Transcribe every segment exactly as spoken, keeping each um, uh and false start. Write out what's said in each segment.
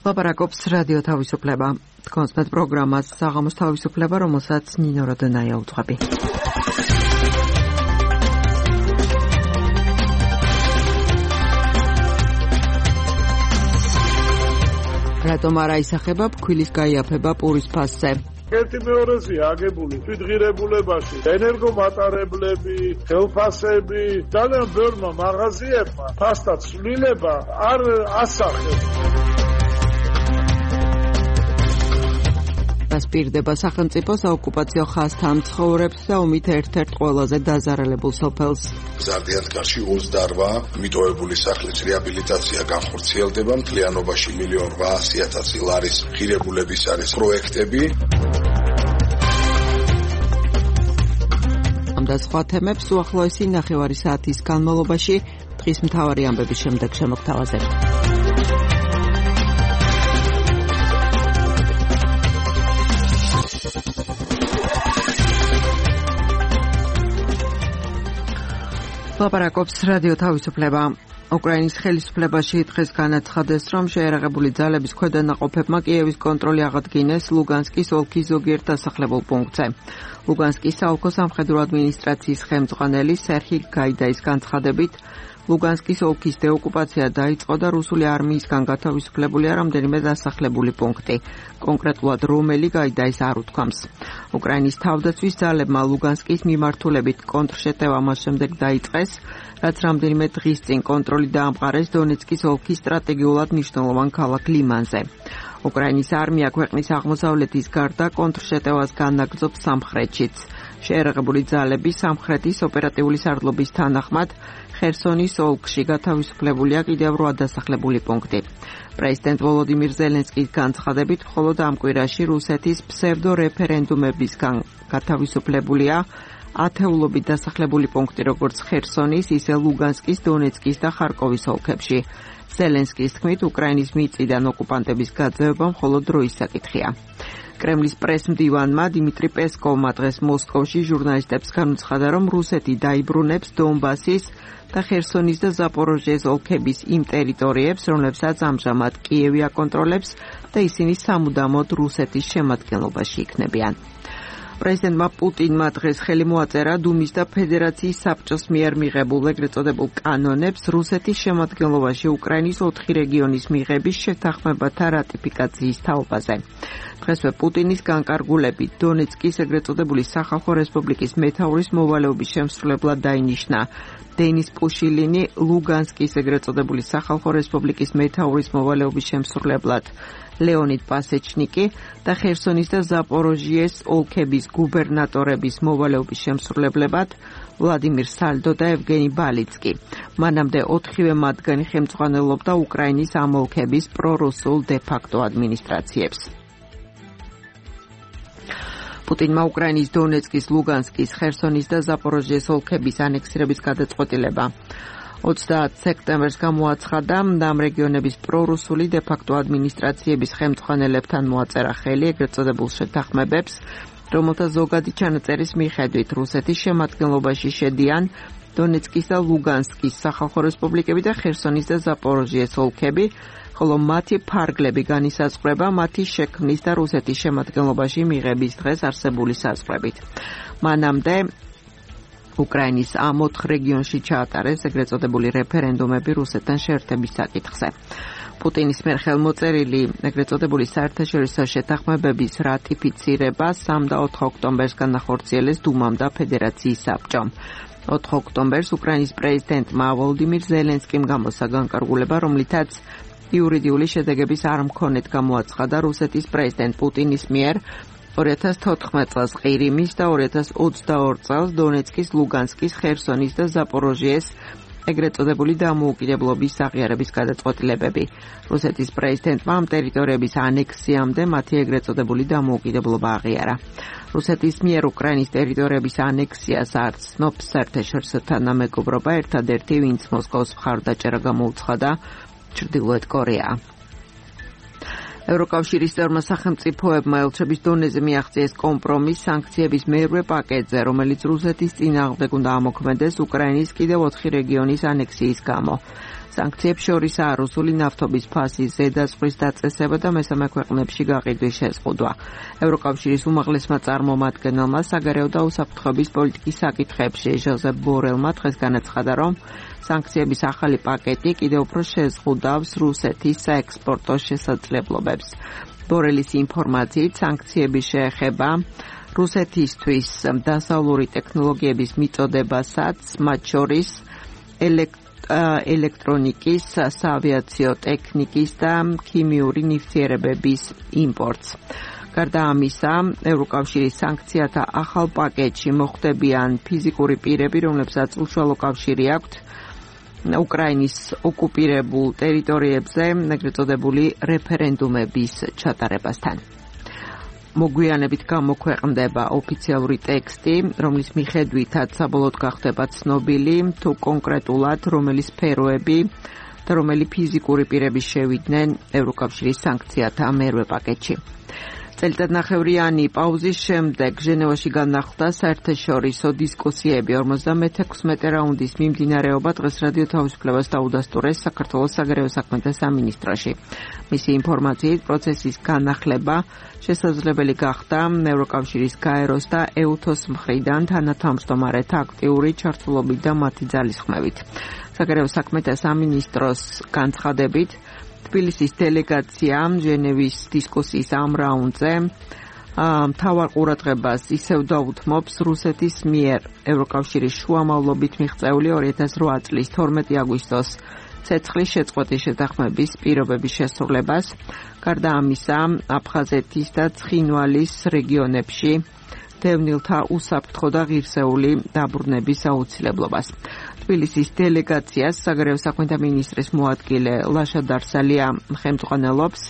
ლაპარაკობს რადიო თავისუფლება. კონსპეთ პროგრამას საღამოს თავისუფლება, რომელსაც ნინო როდონაია უძღვები. რატომ არა ისახება ფქვილის გაიაფება პურის ფასზე? ერთი მეორეზეა აგებული თვითღირებულებაში ენერგომატარებლები, ხელფასები, ძალიან ბევრმა მაღაზიებმა ფასთა ცვლილება არ ასახებს. დასპირდება სახელმწიფო საოკუპაციო ხაზთან მცხოვრებს და ომით ერთ-ერთ ყველაზე დაზარალებულ სოფელს. ზარდიანთკარში ოცდაოთხ მიტოვებული სახლის რეაბილიტაცია განხორციელდება, მთლიანობაში მილიონ რვაასი ათასი ლარის ღირებულების არის პროექტები. ამ და სხვა თემებს უახლოესი ნახევარი საათის განმავლობაში დღის მთავარი ამბების შემდეგ შემოგთავაზებთ. ლაპარაკობს რადიო თავისუფლება. უკრაინის ხელისუფლებაში დღეს განაცხადეს, რომ შეერაღებული ძალების ქვედანაყოფებმა კიევის კონტროლი აღადგინეს ლუგანსკის ოლქის ზოგიერთ დასახლებულ პუნქტზე. ლუგანსკის საოლქო სამხედრო ადმინისტრაციის ხელმძღვანელი სერჰი გაიდაის განცხადებით, ლუგანსკის ოლქის დეოკუპაცია დაიწყო და რუსული არმიისგან გათავისუფლებულია რამდენიმე დასახლებული პუნქტი. კონკრეტულად რომელი გაიდაის არ უთქვამს. უკრაინის თავდაცვის ძალებმა ლუგანსკის მიმართულებით კონტრშეტევა მას შემდეგ დაიწყეს, რაც რამდენიმე დღის წინ კონტროლი დაამყარეს დონეცკის ოლქის სტრატეგიულად მნიშვნელოვან ქალაქ ლიმანზე. უკრაინის არმია ქვეყნის აღმოსავლეთის გარდა კონტრშეტევას განაგრძობს სამხრეთშიც. შეერაღებული ძალები სამხრეთის ოპერატიული სარდლობის თანახმად ხერსონის ოლქში გათავისუფლებულია კიდევ რვა დასახლებული პუნქტი. პრეზიდენტ ვოლოდიმირ ზელენსკის განცხადებით, მხოლოდ ამ კვირაში რუსეთის ფსევდო რეფერენდუმებისგან გათავისუფლებულია ათეულობით დასახლებული პუნქტი, როგორც ხერსონის, ისე ლუგანსკის, დონეცკის და ხარკოვის ოლქებში. ზელენსკის თქმით, უკრაინის მიწიდან ოკუპანტების გაძევება მხოლოდ დროის საკითხია. კრემლის პრესმდივანმა დიმიტრი პესკოვმა დღეს მოსკოვში ჟურნალისტებს განუცხადა, რომ რუსეთი დაიბრუნებს დონბასის და ხერსონის და ზაპოროჟიეს ოლქების იმ ტერიტორიებს, რომლებსაც ამჟამად კიევი აკონტროლებს და ისინი სამუდამოდ რუსეთის შემადგენლობაში იქნებიან. პრეზიდენტმა პუტინმა დღეს ხელი მოაწერა დუმის და ფედერაციის საბჭოს მიერ მიღებულ ეგრეთ წოდებულ კანონებს რუსეთის შემადგენლობაში უკრაინის ოთხი რეგიონის მიღების შეთანხმებათა რატიფიკაციის თაობაზე. დღესვე პუტინის განკარგულებით დონეცკის ეგრეთ წოდებული სახალხო რესპუბლიკის მეთაურის მოვალეობის შემსრულებლად დაინიშნა დენის პუშილინი, ლუგანსკის ეგრეთ წოდებული სახალხო რესპუბლიკის მეთაურის მოვალეობის შემსრულებლად ლეონიდ პასეჩნიკი და ხერსონის და ზაპოროჟიეს ოლქების გუბერნატორების მოვალეობის შემსრულებლებად ვლადიმირ სალდო და ევგენი ბალიცკი. მანამდე ოთხივე მათგანი ხელმძღვანელობდა უკრაინის ამ ოლქების პრორუსულ დე-ფაქტო ადმინისტრაციებს. პუტინმა უკრაინის დონეცკის, ლუგანსკის, ხერსონის და ზაპოროჟიეს ოლქების ანექსირების გადაწყვეტილება ოცდაათი სექტემბერს გამოაცხადა და ამ რეგიონების პრორუსული დე-ფაქტო ადმინისტრაციების ხელმძღვანელებთან მოაწერა ხელი ეგრეთ წოდებულ შეთანხმებებს, რომელთა ზოგადი ჩანაწერის მიხედვით რუსეთის შემადგენლობაში შედიან დონეცკის და ლუგანსკის სახალხო რესპუბლიკები და ხერსონის და ზაპოროჟიეს ოლქები, ხოლო მათი ფარგლები განისაზღვრება მათი შექმნის და რუსეთის შემადგენლობაში მიღების დღეს არსებული საზღვრებით. მანამდე უკრაინის ამ ოთხ რეგიონში ჩაატარეს ეგრეთ წოდებული რეფერენდუმები რუსეთთან შეერთების საკითხზე. პუტინის მიერ ხელმოწერილი ეგრეთ წოდებული საერთაშორისო შეთანხმებების რატიფიცირება სამ და ოთხ ოქტომბერს განახორციელეს დუმამ და ფედერაციის საბჭომ. ოთხ ოქტომბერს უკრაინის პრეზიდენტმა ვოლოდიმირ ზელენსკიმ გამოსცა განკარგულება, რომლითაც იურიდიული შედეგების არ მქონეთ გამოაცხადა რუსეთის პრეზიდენტ პუტინის მიერ ორი ათას თოთხმეტ წელს ყირიმის და ორი ათას ოცდაორი წელს დონეცკის, ლუგანსკის, ხერსონის და ზაპოროჟიეს ეგრეთ წოდებული დამოუკიდებლობის აღიარების გადაწყვეტილებები. რუსეთის პრეზიდენტმა ამ ტერიტორიების ანექსიამდე მათი ეგრეთ წოდებული დამოუკიდებლობა აღიარა. რუსეთის მიერ უკრაინის ტერიტორიების ანექსიას არ ცნობს საერთაშორისო თანამეგობრობა, ერთადერთი ვინც მოსკოვს მხარდაჭერა გამოუცხადა ჩრდილოეთ კორეაა. ევროკავშირის წევრმა სახელმწიფოებმა ელჩების დონეზე მიაღწიეს კომპრომის სანქციების მერვე პაკეტზე, რომელიც რუსეთის წინააღმდეგ უნდა ამოქმედეს უკრაინის კიდევ ოთხი რეგიონის ანექსიის გამო. სანქციებს შორისაა რუსული ნავთობის ფასის ზედაზღვრის დაწესება და მესამე ქვეყნებში გაყიდვის შეზღუდვა. ევროკავშირის უმაღლესმა წარმომადგენელმა საგარეო და უსაფრთხოების პოლიტიკის საკითხებში ჟოზეფ ბორელმა დღეს განაცხადა, რომ სანქციების ახალი პაკეტი კიდევ უფრო შეზღუდავს რუსეთის საექსპორტო შესაძლებლობებს. ბორელის ინფორმაციით, სანქციები შეეხება რუსეთისთვის დასავლური ტექნოლოგიების მიწოდებასაც, მათ შორის ელექტრონიკის, საავიაციო ტექნიკის და ქიმიური ნივთიერებების იმპორტს. გარდა ამისა, ევროკავშირის სანქციათა ახალ პაკეტში მოხვდებიან ფიზიკური პირები, რომლებსაც უშუალო კავშირი აქვთ უკრაინის ოკუპირებულ ტერიტორიებზე ეგრეთ წოდებული რეფერენდუმების ჩატარებასთან. მოგვიანებით გამოქვეყნდება ოფიციალური ტექსტი, რომლის მიხედვითაც საბოლოოდ გახდება ცნობილი, თუ კონკრეტულად რომელი სფეროები და რომელი ფიზიკური პირები შევიდნენ ევროკავშირის სანქციათა მერვე პაკეტში. წელიწადნახევრიანი პაუზის შემდეგ ჟენევაში განახლდა საერთაშორისო დისკუსიები ორმოცდამეექვსმეტე რაუნდის მიმდინარეობა დღეს რადიო თავისუფლებას დაუდასტურეს საქართველოს საგარეო საქმეთა სამინისტროში. მისი ინფორმაციით, პროცესის განახლება შესაძლებელი გახდა ევროკავშირის გაეროს და ეუთოს მხრიდან თანათავმჯდომარეთა აქტიური ჩართულობით და მათი ძალისხმევით. საგარეო საქმეთა სამინისტროს განცხადებით, თბილისის დელეგაცია ჟენევის დისკუსიის ამ რაუნდზე მთავარ ყურადღებას ისევ დაუთმობს რუსეთის მიერ ევროკავშირის შუამავლობით მიღწეული ორი ათას რვა წლის თორმეტი აგვისტოს ცეცხლის შეწყვეტის შეთანხმების პირობების შესრულებას, გარდა ამისა, აფხაზეთის და ცხინვალის რეგიონებში დევნილთა უსაფრთხო და ღირსეული დაბრუნების აუცილებლობას. თბილისის დელეგაციას საგარეო საქმეთა მინისტრის მოადგილე ლაშა დარსალია ხელმძღვანელობს.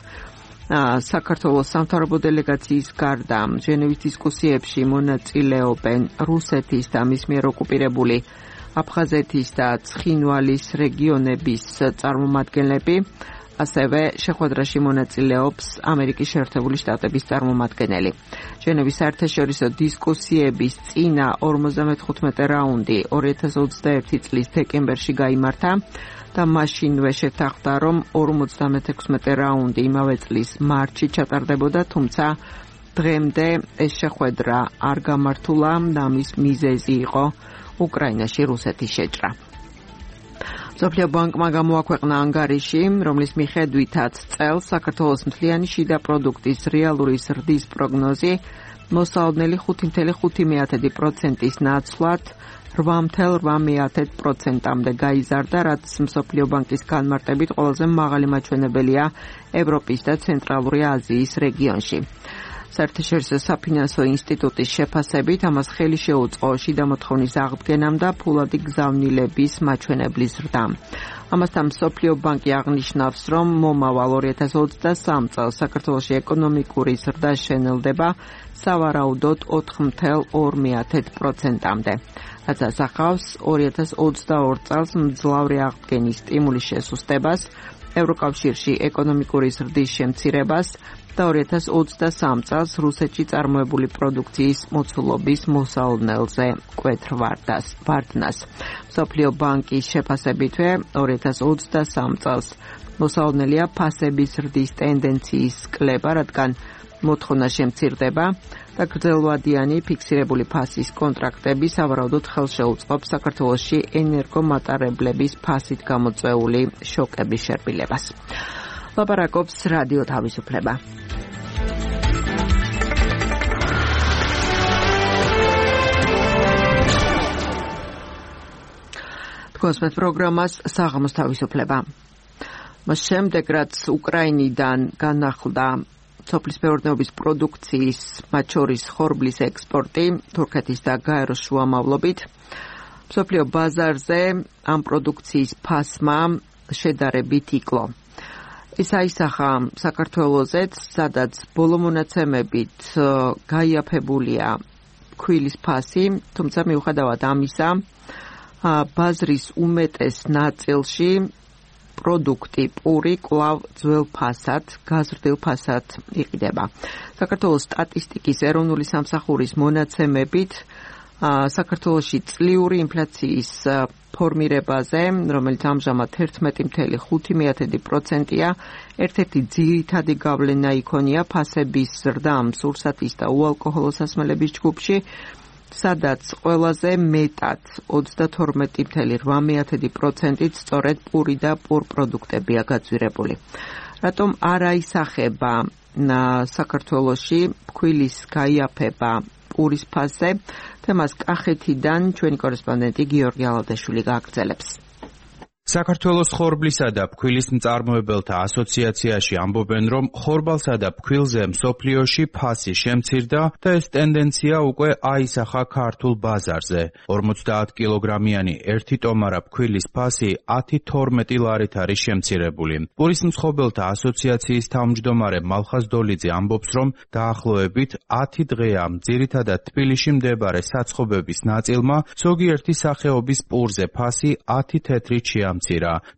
საქართველოს სამთავრობო დელეგაციის გარდა ჟენევის დისკუსიებში მონაწილეობენ რუსეთის და მის მიერ ოკუპირებული აფხაზეთის და ცხინვალის რეგიონების წარმომადგენლები, ასევე შეხვედრაში მონაწილეობს ამერიკის შეერთებული შტატების წარმომადგენელი. ჟენევის საერთაშორისო დისკუსიების წინა ორმოცდამეთხუთმეტე რაუნდი ორი ათას ოცდაერთი წლის დეკემბერში გაიმართა და მაშინვე შეთანხმდა, რომ ორმოცდამეექვსმეტე რაუნდი იმავე წლის მარტში ჩატარდებოდა, თუმცა დღემდე ეს შეხვედრა არ გამართულა და ამის მიზეზი იყო უკრაინაში რუსეთის შეჭრა. მსოფლიო ბანკმა გამოაქვეყნა ანგარიში, რომლის მიხედვითაც წელს საქართველოს მთლიანი შიდა პროდუქტის რეალური ზრდის პროგნოზი მოსალოდნელი ხუთი ათეული ხუთი პროცენტის ნაცვლად რვა ათეული რვა პროცენტამდე გაიზარდა, რაც მსოფლიო ბანკის განმარტებით ყველაზე მაღალი მაჩვენებელია ევროპის და ცენტრალური აზიის რეგიონში. საერთაშორისო საფინანსო ინსტიტუტის შეფასებით ამას ხელი შეუწყო შიდა მოთხოვნის აღდგენამ და ფულადი გზავნილების მაჩვენებლის ზრდამ. ამასთან მსოფლიო ბანკი აღნიშნავს, რომ მომავალ ორი ათას ოცდასამ წელს საქართველოში ეკონომიკური ზრდა შენელდება სავარაუდოდ ოთხ ათეული ორი პროცენტამდე, რაც ასახავს ორი ათას ოცდაორ წელს მძლავრი აღდგენის სტიმულის შესუსტებას, ევროკავშირში ეკონომიკური ზრდის შემცირებას და ორი ათას ოცდასამ წელს რუსეთში წარმოებული პროდუქციის მოცულობის მოსალოდნელზე მკვეთრ ვარდნას. მსოფლიო ბანკის შეფასებითვე ორი ათას ოცდასამ წელს მოსალოდნელია ფასების ზრდის ტენდენციის კლება, რადგან მოთხოვნა შემცირდება და გრძელვადიანი ფიქსირებული ფასის კონტრაქტები სავარაუდოდ ხელს შეუწყობს საქართველოში ენერგომატარებლების ფასით გამოწვეული შოკების შერბილებას. ლაპარაკობს რადიო თავისუფლება. თქვენს პროგრამას საღამოს თავისუფლება. მას შემდეგ, რაც უკრაინიდან განახლდა სოფლის მეურნეობის პროდუქციის, მათ შორის ხორბლის ექსპორტი თურქეთის და გაეროს შუამავლობით, მსოფლიო ბაზარზე ამ პროდუქციის ფასმა შედარებით იკლო. ეს აისახა საქართველოსაც, სადაც ბოლო მონაცემებით გაიაფებულია ქვილის ფასი, თუმცა მიუხედავად ამისა, ბაზრის უმეტეს ნაწილში პროდუქტი პური კვლავ ძველ ფასად, გაზრდილ ფასად იყიდება. საქართველოს სტატისტიკის ეროვნული სამსახურის მონაცემებით საქართველოში წლიური ინფლაციის ფორმირებაზე, რომელიც ამჟამად ერთმეტი კoma ხუთი პროცენტია, ერთ-ერთი ძირითადი გავლენა იქონია ფასების ზრდამ სურსათის და უალკოჰოლო სასმელების ჯგუფში, სადაც ყველაზე მეტად ოცდათორმეტი კoma რვა პროცენტით სწორედ პური და პურპროდუქტებია გაძვირებული. რატომ არ აისახება საქართველოში ფქვილის გაიაფება პურის ფასზე? თემას კახეთიდან ჩვენი კორესპონდენტი გიორგი ალადაშვილი გააგრძელებს. საქართველოს ხორბლისა და ფქვილის მწარმოებელთა ასოციაციაში ამბობენ, რომ ხორბალსა და ფქვილზე მსოფლიოში ფასი შემცირდა და ეს ტენდენცია უკვე აისახა ქართულ ბაზარზე. ორმოცდაათ კილოგრამიანი ერთი ტომარა ფქვილის ფასი ათი თორმეტი ლარით არის შემცირებული. პურის მსხობელთა ასოციაციის თავმჯდომარე მალხაზ დოლიძე ამბობს, რომ დაახლოებით ათი დღეა ძირითადად თბილისში მდებარე საცხობების ნაწილმა ზოგიერთი სახეობის პურზე ფასი ათი თეთრით შეამცირა.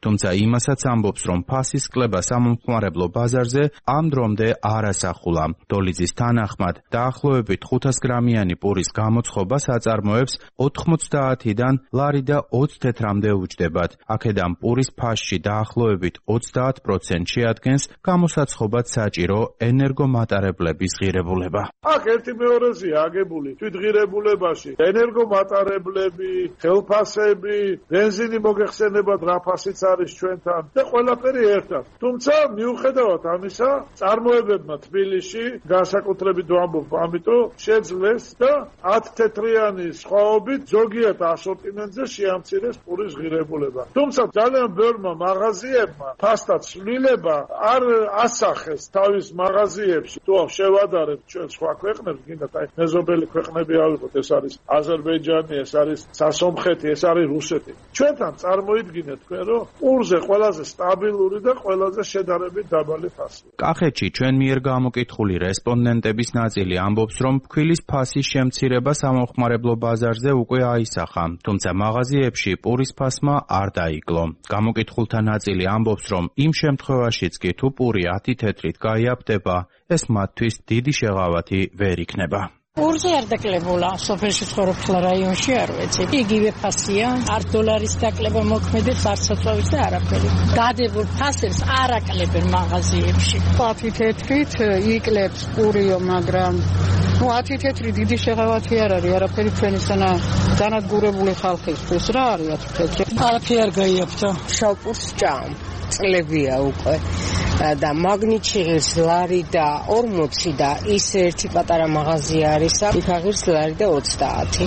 თუმცა იმასაც ამბობს, რომ ფასის კლება სამომხმარებლო ბაზარზე ამ დრომდე არ ასახულა. დოლიძის თანახმად, დაახლოებით ხუთას გრამიანი პურის გამოცხობა საწარმოებს ოთხმოცდაათიდან ლარი და ოცი თეთრამდე უჯდებათ. აქედან პურის ფასში დაახლოებით ოცდაათ პროცენტს შეადგენს გამოსაცხობად საჭირო ენერგომატარებლების ღირებულება. აქ ერთი მეორეზეა აგებული თვითღირებულებაში ენერგომატარებლები, ხელფასები, ბენზინი მოგეხსენებათ რა ფასიც არის ჩვენთან და ყველაფერი ერთად. თუმცა მიუხედავად ამისა, წარმოებებმა თბილისში განსაკუთრებით ვამბობ, ამიტომ შეძლეს და ათი თეთრიანი სხვაობით ზოგიერთ ასორტიმენტზე შეამცირეს პურის ღირებულება. თუმცა ძალიან ბევრმა მაღაზიებმა ფასთა ცვლილება არ ასახეს თავის მაღაზიებში. თუ შევადარებთ ჩვენ სხვა ქვეყნებს, გინდათ აი მეზობელი ქვეყნები ავიღოთ, ეს არის აზერბაიჯანი, ეს არის სასომხეთი, ეს არის რუსეთი. ჩვენთან წარმოიდგინეთ თქვენ, რომ პურზე ყველაზე სტაბილური და ყველაზე შედარებით დაბალი ფასია. კახეთში ჩვენ მიერ გამოკითხული რესპონდენტების ნაწილი ამბობს, რომ ფქვილის ფასის შემცირება სამომხმარებლო ბაზარზე უკვე აისახა, თუმცა მაღაზიებში პურის ფასმა არ დაიკლო. გამოკითხულთა ნაწილი ამბობს, რომ იმ შემთხვევაშიც კი თუ პური ათი თეთრით გაიაფდება, ეს მათთვის დიდი შეღავათი ვერ იქნება. პურზე არ დაკლებულა, სოფელში ცხოვრობ ხლა რაიონში არ ვიცი. იგივე ფასია, არ დოლარის დაკლება მოქმედებს, არ საწვავის და არაფერი. დადებულ ფასებს არ აკლებენ მაღაზიებში. ათი თეთრით იკლებს პურიო, მაგრამ ნუ ათი თეთრი დიდი შეღავათი არ არის, არაფერი ჩვენისთანა განადგურებული ხალხისთვის რა არის ათი თეთრი. არაფერი არ გაიაფთა. შავ პურს ჭამ. წლებია უკვე და მაგნიტში ღირს ლარი და ორმოცი და ის ერთი პატარა მაღაზია არის, იქ აღირს ლარი და ოცდაათი.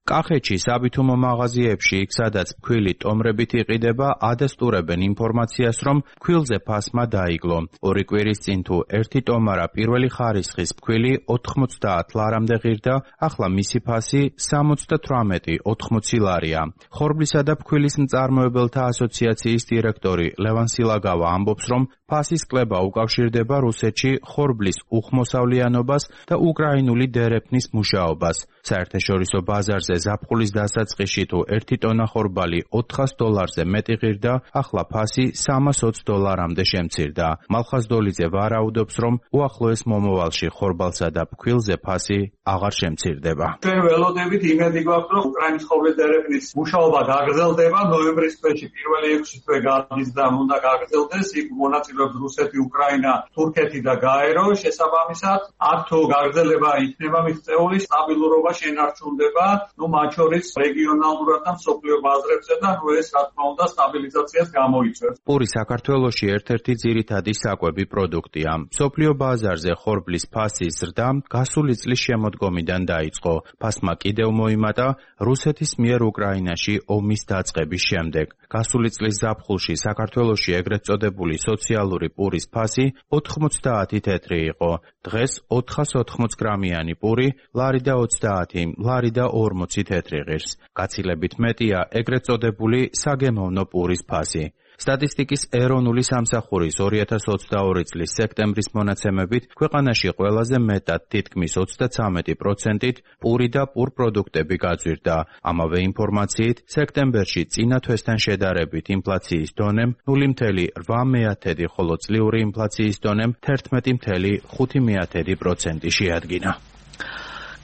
კახეთში საბითუმო მაღაზიებში, იქ სადაც ფქვილი ტომრებით იყიდება, ადასტურებენ ინფორმაციას, რომ ფქვილზე ფასმა დაიკლო. ორი კვირის წინ თუ ერთი ტომარა პირველი ხარისხის ფქვილი ოთხმოცდაათ ლარამდე ღირდა, ახლა მისი ფასი სამოცდათვრამეტი ოთხმოცი ლარია. ხორბლისა და ფქვილის მწარმოებელთა ასოციაციის დირექტორი ლევან სილაგავა ამბობს, რომ ფასის კლება უკავშირდება რუსეთში ხორბლის უხმოსავლიანობას და უკრაინული დერეფნის მუშაობას. საერთაშორისო ბაზარზე ზაფხულის დასაწყისში თუ ერთი ტონა ხორბალი ოთხას დოლარზე მეტი ღირდა, ახლა ფასი სამას ოცი დოლარამდე შემცირდა. მალხაზ დოლიძე ვარაუდობს, რომ უახლოეს მომავალში ხორბალსა და ფქვილზე ფასი აღარ შემცირდება. ჩვენ ველოდებით იმედი გვაქვს, რომ უკრაინის ხორბლის დერეფნის მუშაობა გაგრძელდება, ნოემბრის თვეში პირველი ექვსი თვე გადის და უნდა გაგრძელდეს, იქ მონაწილეობს რუსეთი, უკრაინა, თურქეთი და გაერო. შესაბამისად, აქ თუ გაგრძელება იქნება მის წეული სტაბილურობა შენარჩუნდება, ნუ მათ შორის რეგიონალურად და მსოფლიო ბაზრებზე და ნუ ეს რა თქმა უნდა სტაბილიზაციას გამოიწვევს. პური საქართველოში ერთ-ერთი ძირითადი საკვები პროდუქტია. მსოფლიო ბაზარზე ხორბლის ფასის ზრდა გასული წლის შემოდგომიდან დაიწყო. ფასმა კიდევ მოიმატა რუსეთის მიერ უკრაინაში ომის დაწყების შემდეგ. გასული წლის ზაფხულში საქართველოში ეგრეთ წოდებული სოციალური პურის ფასი ოთხმოცდაათი თეთრი იყო. დღეს ოთხას ოთხმოცი გრამიანი პური ლარი და ოცდაათი, ლარი და ორმოცი თეთრი ღირს. გაცილებით მეტია ეგრეთ წოდებული საგემოვნო პურის ფასი. სტატისტიკის ეროვნული სამსახურის ორი ათას ოცდაორი წლის სექტემბრის მონაცემებით ქვეყანაში ყველაზე მეტად თითქმის ოცდაცამეტი პროცენტით პური და პურპროდუქტები გაძვირდა. ამავე ინფორმაციით, სექტემბერში წინა თვესთან შედარებით ინფლაციის დონემ ნული მცდარი რვა მეათედი, ხოლო წლიური ინფლაციის დონემ თერთმეტი მცდარი ხუთი მეათედი პროცენტი შეადგინა.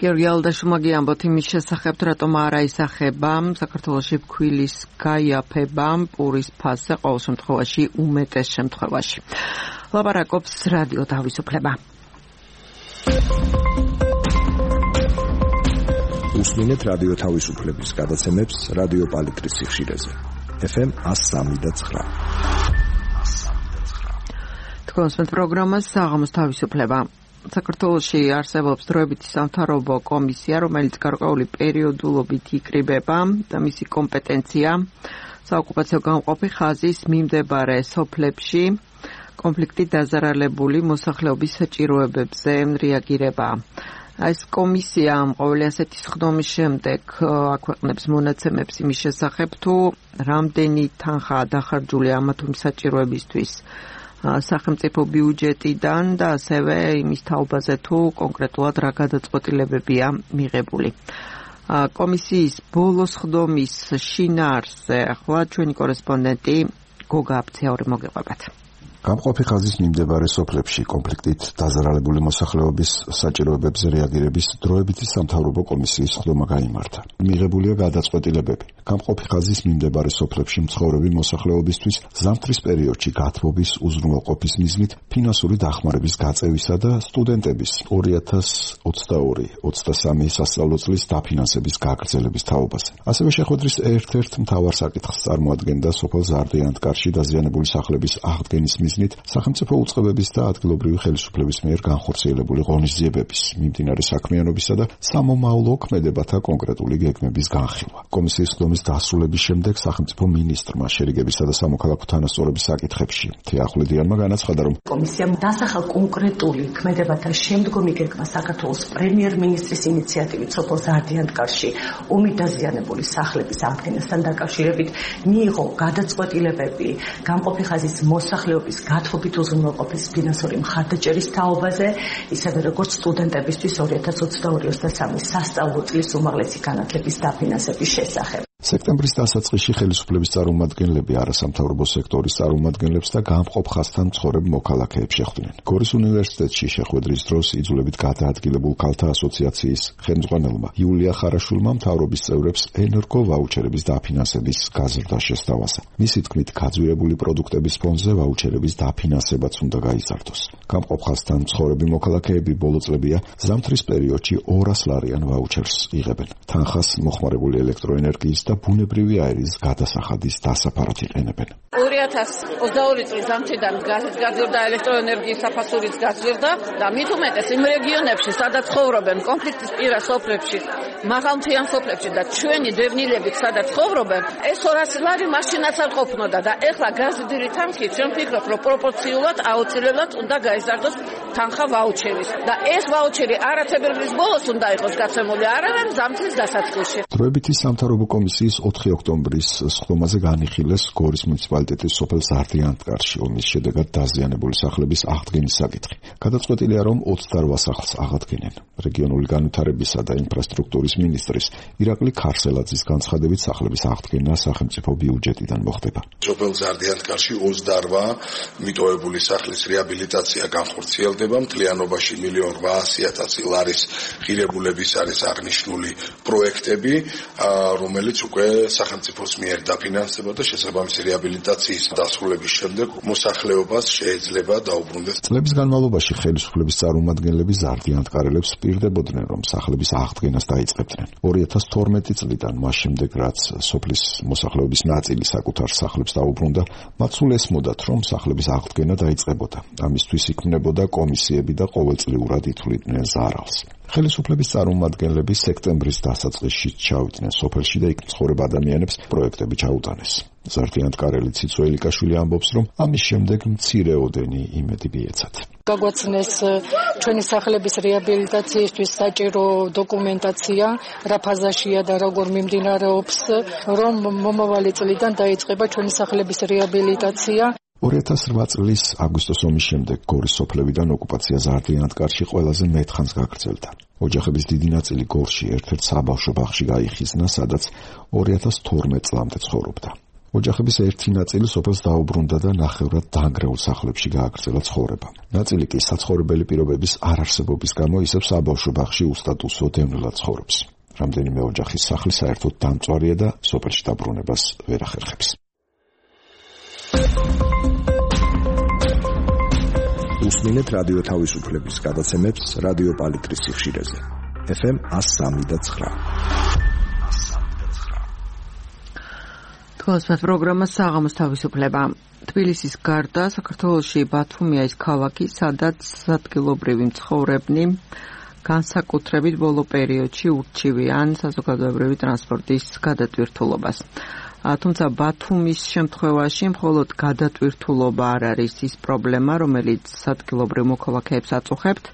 გიორგი ალდაშუმაგი ამბობთ იმის შესახებ, რატომ არ აისახება საქართველოში ფქვილის გაიაფება პურის ფასზე ყოველ შემთხვევაში უმეტეს შემთხვევაში. ლაპარაკობს რადიო თავისუფლება. უსმინეთ რადიო თავისუფლების გადაცემებს რადიო პალიტრის სიხშირეზე. ეფ ემ one oh three point nine. თქვენს პროგრამას საღამოს თავისუფლება. საქართველოში არსებობს დროებითი სამთავრობო კომისია, რომელიც გარკვეული პერიოდულობით იკრიბება და მისი კომპეტენცია საოკუპაციო გამყოფი ხაზის მიმდებარე სოფლებში კონფლიქტით დაზარალებული მოსახლეობის საჭიროებებზე რეაგირება. ეს კომისია ყოველი ასეთი სხდომის შემდეგ აქვეყნებს მონაცემებს იმის შესახებ, თუ რამდენი თანხაა დახარჯული ამა თუ იმ საჭიროებისთვის სახელმწიფო ბიუჯეტიდან და ასევე იმის თაობაზე, თუ კონკრეტულად რა გადაწყვეტილებებია მიღებული. კომისიის ბოლო სხდომის შინაარსზე ახლა ჩვენი კორესპონდენტი გოგა აფციაური მოგეყვებათ. გამყოფი ხაზის მიმდებარე სოფლებში კონფლიქტით დაზარალებული მოსახლეობის საჭიროებებზე რეაგირების დროებითი სამთავრობო კომისიის სხდომა გაიმართა. მიღებულია გადაწყვეტილებები. გამყოფი ხაზის მიმდებარე სოფლებში მცხოვრები მოსახლეობისთვის ზამთრის პერიოდში გათბობის უზრუნველყოფის მიზნით ფინანსური დახმარების გაწევისა და სტუდენტების ორი ათას ოცდაორი ოცდასამი სასწავლო წლის დაფინანსების გაგრძელების თაობაზე. ასევე შეხვედრის ერთ-ერთ მთავარ საკითხს წარმოადგენდა სოფელ ზარდიანთკარში დაზიანებული სახლების აღდგენის მიზნით სახელმწიფო უწყებების და ადგილობრივი ხელისუფლების მიერ განხორციელებული ღონისძიებების, მიმდინარე საქმიანობისა და სამომავლო ქმედებათა კონკრეტული გეგმების განხილვა. კომისიის სხდომის დასრულების შემდეგ სახელმწიფო მინისტრმა შერიგებისა და სამოქალაქო თანასწორობის საკითხებში თეახვლედიანმა განაცხადა, რომ კომისიამ დასახელ კონკრეტული ქმედებათა შემდგომი გეგმა საქართველოს პრემიერ-მინისტრის ინიციატივით სოფელ ზარდიანთკარში ომით დაზიანებული სახლების აღდგენასთან დაკავშირებით მიიღო გადაწყვეტილებები გამყოფი ხაზის მოსახლეობის გათხოვით უზრუნველყოფის ფინანსური მხარდაჭერის თაობაზე, ისევე როგორც სტუდენტებისთვის ორი ათას ოცდაორი ოცდასამი სასწავლო წლის უმაღლესი განათლების დაფინანსების შესახებ. სექტემბრის დასაწყისში ხელისუფლების წარმომადგენლები არასამთავრობო სექტორის წარმომადგენლებს და გამყოფ ხაზთან მცხოვრებ მოქალაქეებს შეხვდნენ. გორის უნივერსიტეტში შეხვედრის დროს იძულებით გადაადგილებულ ქალთა ასოციაციის ხელმძღვანელმა იულია ხარაშულმა მთავრობის წევრებს ენერგო ვაუჩერების დაფინანსების გაზრდა შესთავაზა. მისი თქმით, გაძვირებული პროდუქტების ფონზე ვაუჩერების დაფინანსებაც უნდა გაიზარდოს. გამყოფ ხაზთან მცხოვრები მოქალაქეები ბოლო წლებია ზამთრის პერიოდში ორას ლარიან ვაუჩერს იღებენ. თანხას მოხმარებული ელექტროენერგიის და ბუნებრივი აირის გადასახადის დასაფარად იყენებენ. ორი ათას ოცდაორი წლის ზამთრიდან გაზრდა ელექტროენერგიის საფასურიც გაზრდა და მით უმეტეს იმ რეგიონებში, სადაც ცხოვრობენ კონფლიქტის პირას სოფლებში, მაღალმთიან სოფლებში და ჩვენი დევნილებით სადაც ცხოვრობენ, ეს ორასი ლარი მაშინაც არ ყოფნოდა და ეხლა გაზრდილი თანხით ჩვენ ვფიქრობ, რომ პროპორციულად აუცილებლად უნდა გაიზარდოს თანხა ვაუჩერის და ეს ვაუჩერი არათებერვლის ბოლოს უნდა იყოს გაცემული, არამედ ზამთრის დასაწყისში. დროებითი სამთავრობო კომისიის ოთხი ოქტომბრის სხდომაზე განიხილეს გორის მუნიციპალიტეტის სოფელ ზარდიანთკარში ომის შედეგად დაზიანებული სახლების აღდგენის საკითხი. გადაწყვეტილია, რომ ოცდარვა სახლს აღადგენენ. რეგიონული განვითარებისა და ინფრასტრუქტურის მინისტრის ირაკლი ქარსელაძის განცხადებით სახლების აღდგენა სახელმწიფო ბიუჯეტიდან მოხდება. სოფელ ზარდიანთკარში ოცდარვა მიტოვებული სახლის რეაბილიტაცია განხორციელდება. მთლიანობაში მილიონ რვაასი ათასი ლარის ღირებულების არის აღნიშნული პროექტები, რომელიც უკვე სახელმწიფოს მიერ დაფინანსება და შესაბამისი რეაბილიტაციის დასრულების შემდეგ მოსახლეობას შეიძლება დაუბრუნდეს. წლების განმავლობაში ხელისუფლების წარმომადგენლები ზარდიანთკარელებს პირდებოდნენ, რომ სახლების აღდგენას დაიწყებდნენ. ორი ათას თორმეტი წლიდან მას შემდეგ, რაც სოფლის მოსახლეობის ნაწილი საკუთარ სახლებს დაუბრუნდა, მათ სულ ესმოდათ, რომ სახლების აღდგენა დაიწყებოდა. ამისთვის იქმნებოდა კომისიები და ყოველწლიურად ითვლიდნენ ზარალს. ხელისუფლების წარმომადგენლები სექტემბრის დასაწყისში ჩავიდნენ სოფელში და იქ მცხოვრებ ადამიანებს პროექტები ჩაუტანეს. ზარდიანთკარელი ციცო ელიკაშვილი ამბობს, რომ ამის შემდეგ მცირეოდენი იმედი მიეცათ. გაგვაცნეს ჩვენი სახლების რეაბილიტაციისთვის საჭირო დოკუმენტაცია, რა ფაზაშია და როგორ მიმდინარეობს, რომ მომავალი წლიდან დაიწყება ჩვენი სახლების რეაბილიტაცია. ორი ათას რვა წლის აგვისტოს ომის შემდეგ გორის სოფლებიდან ოკუპაცია ზარდიანთკარში ყველაზე მეტხანს გაგრძელდა. ოჯახების დიდი ნაწილი გორში ერთ-ერთ საბავშვო ბაღში გაიხიზნა, სადაც ორი ათას თორმეტ წლამდე ცხოვრობდა. ოჯახების ერთი ნაწილი სოფელს დაუბრუნდა და ნახევრად დაანგრეულ სახლებში გააგრძელა ცხოვრება. ნაწილი კი საცხოვრებელი პირობების არარსებობის გამო ისევ საბავშვო ბაღში უსტატუსო დევნილად ცხოვრობს. რამდენიმე ოჯახის სახლი საერთოდ დამწვარია და სოფელში დაბრუნებას ვერ ახერხებს. უსმინეთ რადიო თავისუფლების გადაცემებს რადიო პალიტრის სიხშირეზე. ეფ ემ one oh three და nine. თქვენს პროგრამა საღამოს თავისუფლება. თბილისის გარდა საქართველოში ბათუმია ის ქალაქი, სადაც ადგილობრივი მცხოვრებნი განსაკუთრებით ბოლო პერიოდში ურჩივიან საზოგადოებრივი ტრანსპორტის გადატვირთულობას. თუმცა ბათუმის შემთხვევაში მხოლოდ გადატვირთულობა არ არის ის პრობლემა, რომელიც ადგილობრივ მოქალაქეებს აწუხებთ.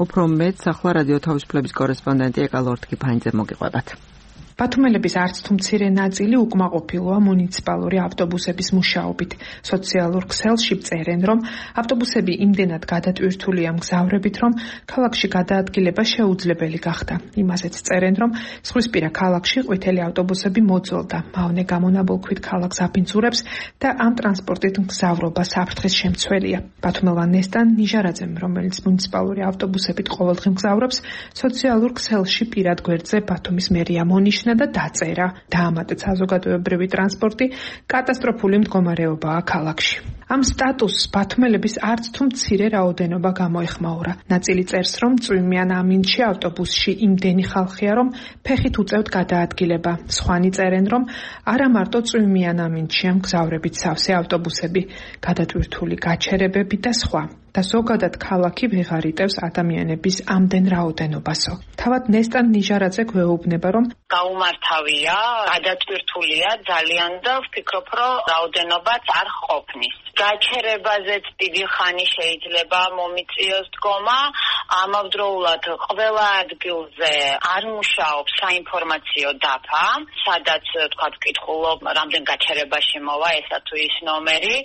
უფრო მეტს ახლა რადიო თავისუფლების კორესპონდენტი ეკალორთგი ფაინძე მოგიყვებათ. ბათუმელების არც თუ მცირე ნაწილი უკმაყოფილოა მუნიციპალური ავტობუსების მუშაობით. სოციალურ ქსელში წერენ, რომ ავტობუსები იმდენად გადატვირთულია მგზავრებით, რომ ქალაქში გადაადგილება შეუძლებელი გახდა. იმასაც წერენ, რომ ზღვისპირა ქალაქში ყვითელი ავტობუსები მოძველდა. მავნე გამონაბოლქვით ქალაქს აფინძურებს და ამ ტრანსპორტით მგზავრობა საფრთხის შემცველია. ბათუმელმა ნესტან ნიჟარაძემ, რომელიც მუნიციპალური ავტობუსებით ყოველდღე მგზავრობს, სოციალურ ქსელში პირად გვერდზე ბათუმის მერია მონიშნა და დაწერა. დაამატა საზოგადოებრივი ტრანსპორტი კატასტროფული მდგომარეობაა ქალაქში. ამ სტატუსს ბათუმელების არც თუ მცირე რაოდენობა გამოეხმაურა. ნაწილი წერს, რომ წვიმიან ამინდში ავტობუსში იმდენი ხალხია, რომ ფეხით უწევთ გადაადგილება. სხვანი წერენ, რომ არა მარტო წვიმიან ამინდშია მგზავრებით სავსე ავტობუსები, გადატვირთული გაჩერებები და სხვა. და ზოგადად ქალაქი ვეღარ იტევს ადამიანების ამდენ რაოდენობასო. თავად ნესტან ნიჟარაძე გვეუბნება, რომ გაუმართავია, გადატვირთულია ძალიან და ვფიქრობ, რომ რაოდენობაც არ ყოფნის. გაჩერებაზეც დიდი ხანი შეიძლება მომიწიოს დგომა, ამავდროულად ყველა ადგილზე არ მუშაობს საინფორმაციო დაფა, სადაც თქვა ვკითხულობ, რამდენ გაჩერებაში მოვა ესა თუ ის ნომერი.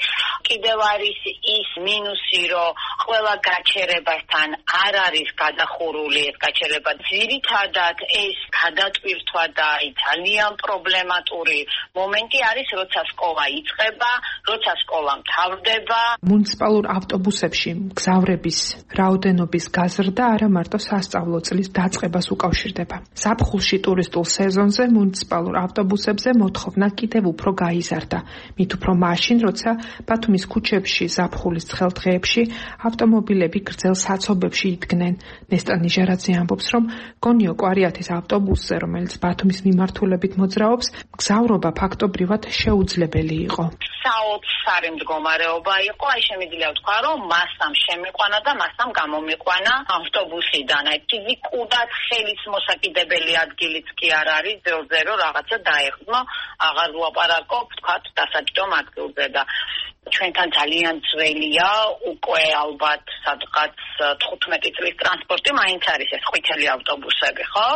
კიდევ არის ის მინუსი, რომ ყველა გაჩერებასთან არ არის გადახურული ეს გაჩერება. ძირითადად ეს გადატვირთვა და ძალიან პრობლემატური მომენტი არის, როცა სკოლა იწყება, როცა სკოლა მთავრდება. მუნიციპალურ ავტობუსებში მგზავრების რაოდენობის გაზრდა არა მარტო სასწავლო წლის დაწყებას უკავშირდება. ზაფხულში ტურისტულ სეზონზე მუნიციპალურ ავტობუსებზე მოთხოვნა კიდევ უფრო გაიზარდა. მით უფრო მაშინ, როცა ბათუმის ქუჩებში ზაფხულის ცხელ დღეებში ავტომობილები გრძელ საცობებში იდგნენ. ნესტან ნიჟარაძე ამბობს, რომ გონიო კვარიათის ავტობუსზე, რომელიც ბათუმის მიმართულებით მოძრაობს, მგზავრობა ფაქტობრივად შეუძლებელი იყო. საოცარი მდგომარეობა იყო, აი შემიძლია ვთქვა, რომ მასამ შემიყვანა და მასამ გამომიყვანა ავტობუსიდან. აი ფიზიკურად ხელის მოსაკიდებელი ადგილიც კი არ არის, ძელზე რომ რაღაცა დაეხმო, აღარ ვლაპარაკობ, თქვა დასაჯდომ ადგილზე და ჩვენთან ძალიან ძველია, უკვე ალბათ სადღაც თხუთმეტი წლის ტრანსპორტი მაინც არის ეს ყვითელი ავტობუსები, ხო?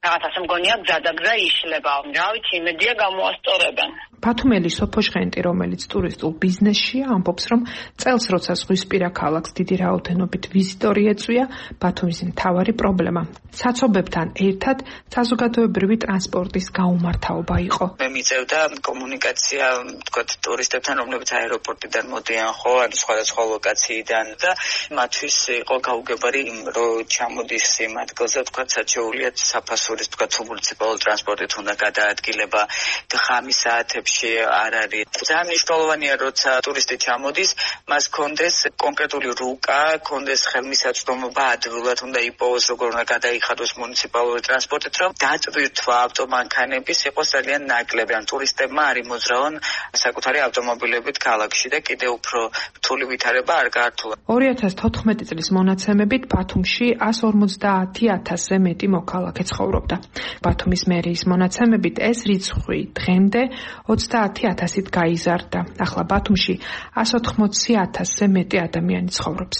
რაღაცა მგონია გზადაგზა იშლება, რა ვიცი, იმედია გამოასწორებენ. ბათუმელი სოფოჟღენტი, რომელიც ტურისტულ ბიზნესშია, ამბობს, რომ წელს როცა ზღვისპირა ქალაქს დიდი რაოდენობით ვიზიტორი ეწვია, ბათუმის მთავარი პრობლემა საცობებთან ერთად საზოგადოებრივი ტრანსპორტის გაუმართავობა იყო. მე მიწევდა კომუნიკაცია, თქვათ, ტურისტებთან, რომლებიც აეროპორტიდან მოდიან, ხო, ან სხვადასხვა ლოკაციიდან და მათთვის იყო გაუგებარი, რომ ჩამოდის იმ ადგილზე, თქვათ, საჩეულიათ საფასურის, თქვათ, მუნიციპალური ტრანსპორტით უნდა გადაადგილება და ხამის საათებში არ არის. ძალიან მნიშვნელოვანია, როცა ტურისტი ჩამოდის, მას კონდეს კონკრეტული რუკა, კონდეს ხელმისაწვდომობა, ადვილად უნდა იპოვოს, როგორ უნდა გადაიხადოს მუნიციპალური ტრანსპორტით, რომ დატვირთვა ავტომანქანების იყოს ძალიან ნაკლები. ან ტურისტებმა არ იმოძრავონ საკუთარი ავტომობილებით ქალაქში და კიდევ უფრო რთული ვითარება არ გაართულა. ორი ათას თოთხმეტი წლის მონაცემებით ბათუმში εκατს ორმოცდაათი ათასზე მეტი მოქალაქე ცხოვრობდა. ბათუმის მერიის მონაცემებით ეს რიცხვი დღემდე ოცდაათი ათასით გაიზარდა. ახლა ბათუმში εκατს ოთხმოცი ათასზე მეტი ადამიანი ცხოვრობს.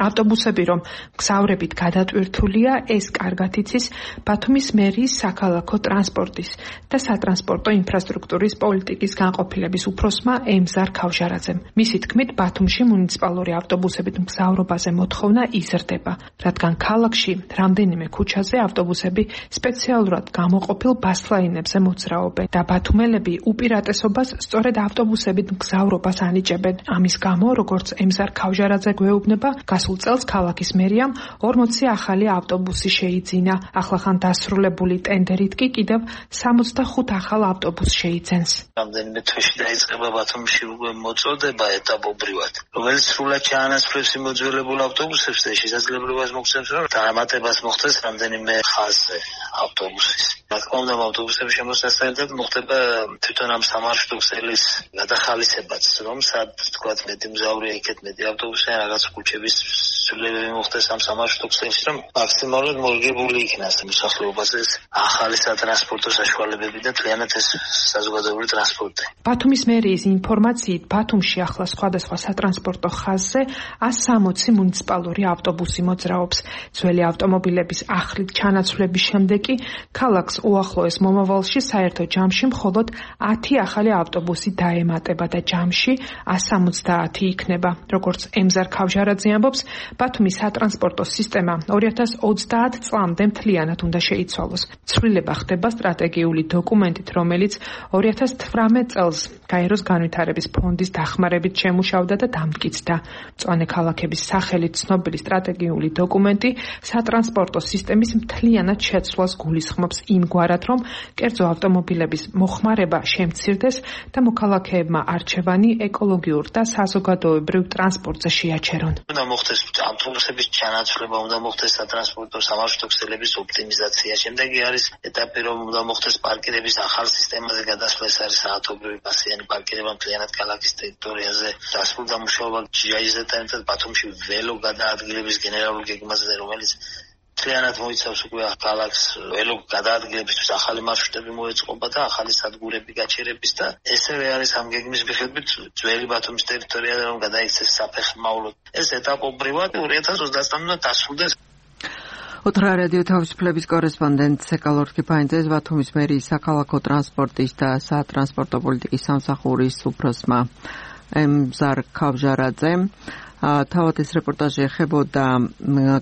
ავტობუსები რომ მგზავრებით გადატვირთულია, ეს კარგად იცის ბათუმის მერიის საქალაქო ტრანსპორტის და სატრანსპორტო ინფრასტრუქტურის პოლიტიკის განყოფილების უფროსმა ემზარ ქავჟარაძემ. მისი თქმით, ბათუმში მუნიციპალური ავტობუსებით მგზავრობაზე მოთხოვნა იზრდება, რადგან ქალაქში რამდენიმე ქუჩაზე ავტობუსები სპეციალურად სპეციალურად გამოყოფილ ბასლაინებზე მოძრაობენ და ბათუმელები უპირატესობას სწორედ ავტობუსებით მგზავრობას ანიჭებენ. ამის გამო, როგორც ემზარ ქავჟარაძე გვეუბნება, გასულ წელს ქალაქის მერიამ ორმოცი ახალი ავტობუსი შეიძინა. ახლახან დასრულებული ტენდერით კი კიდევ სამოცდახუთ ახალ ავტობუსს შეიძენს. რამდენიმე თვეში დაიწყება ბათუმში უკვე მოწოდება ეტაპობრივად, რომელიც სრულად ჩაანაცვლებს იმოძველებულ ავტობუსებს და შესაძლებლობას მოგცემს, რომ დამატებას მოხდეს რამდენიმე ხაზზე ავტობუსის. რა თქმა უნდა, ავტობუსების შემოსასწრებით მოხდება თვითონ ამ სამარშრუტო ქსელის გადახალისებაც, რომ სად თქვათ მეტი მგზავრია იქეთ მეტი ავტობუსი, რაღაც ქუჩების ცვლილებები მოხდეს ამ სამარშრუტო ქსელში, რომ მაქსიმალურად მორგებული იქნას მოსახლეობაზე ახალი სატრანსპორტო საშუალებები და მთლიანად ეს საზოგადოებრივი ტრანსპორტი. ბათუმის მერიის ინფორმაციით, ბათუმში ახლა სხვადასხვა სატრანსპორტო ხაზზე ას სამოცი მუნიციპალური ავტობუსი მოძრაობს. ძველი ავტომობილების ახლით ჩანაცვლების შემდეგ კი ქალაქს უახლოეს მომავალში საერთო ჯამში მხოლოდ ათი ახალი ავტობუსი დაემატება და ჯამში ას სამოცდაათი იქნება. როგორც ემზარ ქავჟარაძე ამბობს, ბათუმის სატრანსპორტო სისტემა ორი ათას ოცდაათ წლამდე მთლიანად უნდა შეიცვალოს. ცვლილება ხდება სტრატეგიული დოკუმენტით, რომელიც ორი ათას თვრამეტ წელს გაეროს განვითარების ფონდის დახმარებით შემუშავდა და დამტკიცდა. მწვანე ქალაქების სახელით ცნობილი სტრატეგიული დოკუმენტი სატრანსპორტო სისტემის მთლიანად შეცვლას გულისხმობს იმგვარად, რომ კერძო ავტომობილების მოხმარება შემცირდეს და მოქალაქეებმა არჩევანი ეკოლოგიურ და საზოგადოებრივ ტრანსპორტზე შეაჩერონ. უნდა მოხდეს ავტობუსების ჩანაცვლება, უნდა მოხდეს სატრანსპორტო სამარშრუტო ქსელების ოპტიმიზაცია. შემდეგი არის ეტაპი, რომ უნდა მოხდეს პარკირების ახალ სისტემაზე გადასვლა, ეს არის საათობრივი პასიანი პარკირება მთლიანად ქალაქის ტერიტორიაზე. დასრულდა მუშაობა ჯაიზეთან ერთად ბათუმში ველო გადაადგილების გენერალურ გეგმაზე, რომელიც მთლიანად მოიცავს უკვე ქალაქს ველო გადაადგილებისთვის ახალი მარშრუტები მოეწყობა და ახალი სადგურები გაჩერების და ესევე არის ამ გეგმის მიხედვით ძველი ბათუმის ტერიტორიაზე რომ გადაიქცეს საფეხმავლოდ. ეს ეტაპობრივად ორი ათას ოცდაათამდე დასრულდეს. ოთრა რადიო თავისუფლების კორესპონდენტ სეკალორკი ფაინძეს ბათუმის მერიის საქალაქო ტრანსპორტის და სატრანსპორტო პოლიტიკის სამსახურის უფროსმა ემზარ ქავჟარაძემ თავად ეს რეპორტაჟი ეხებოდა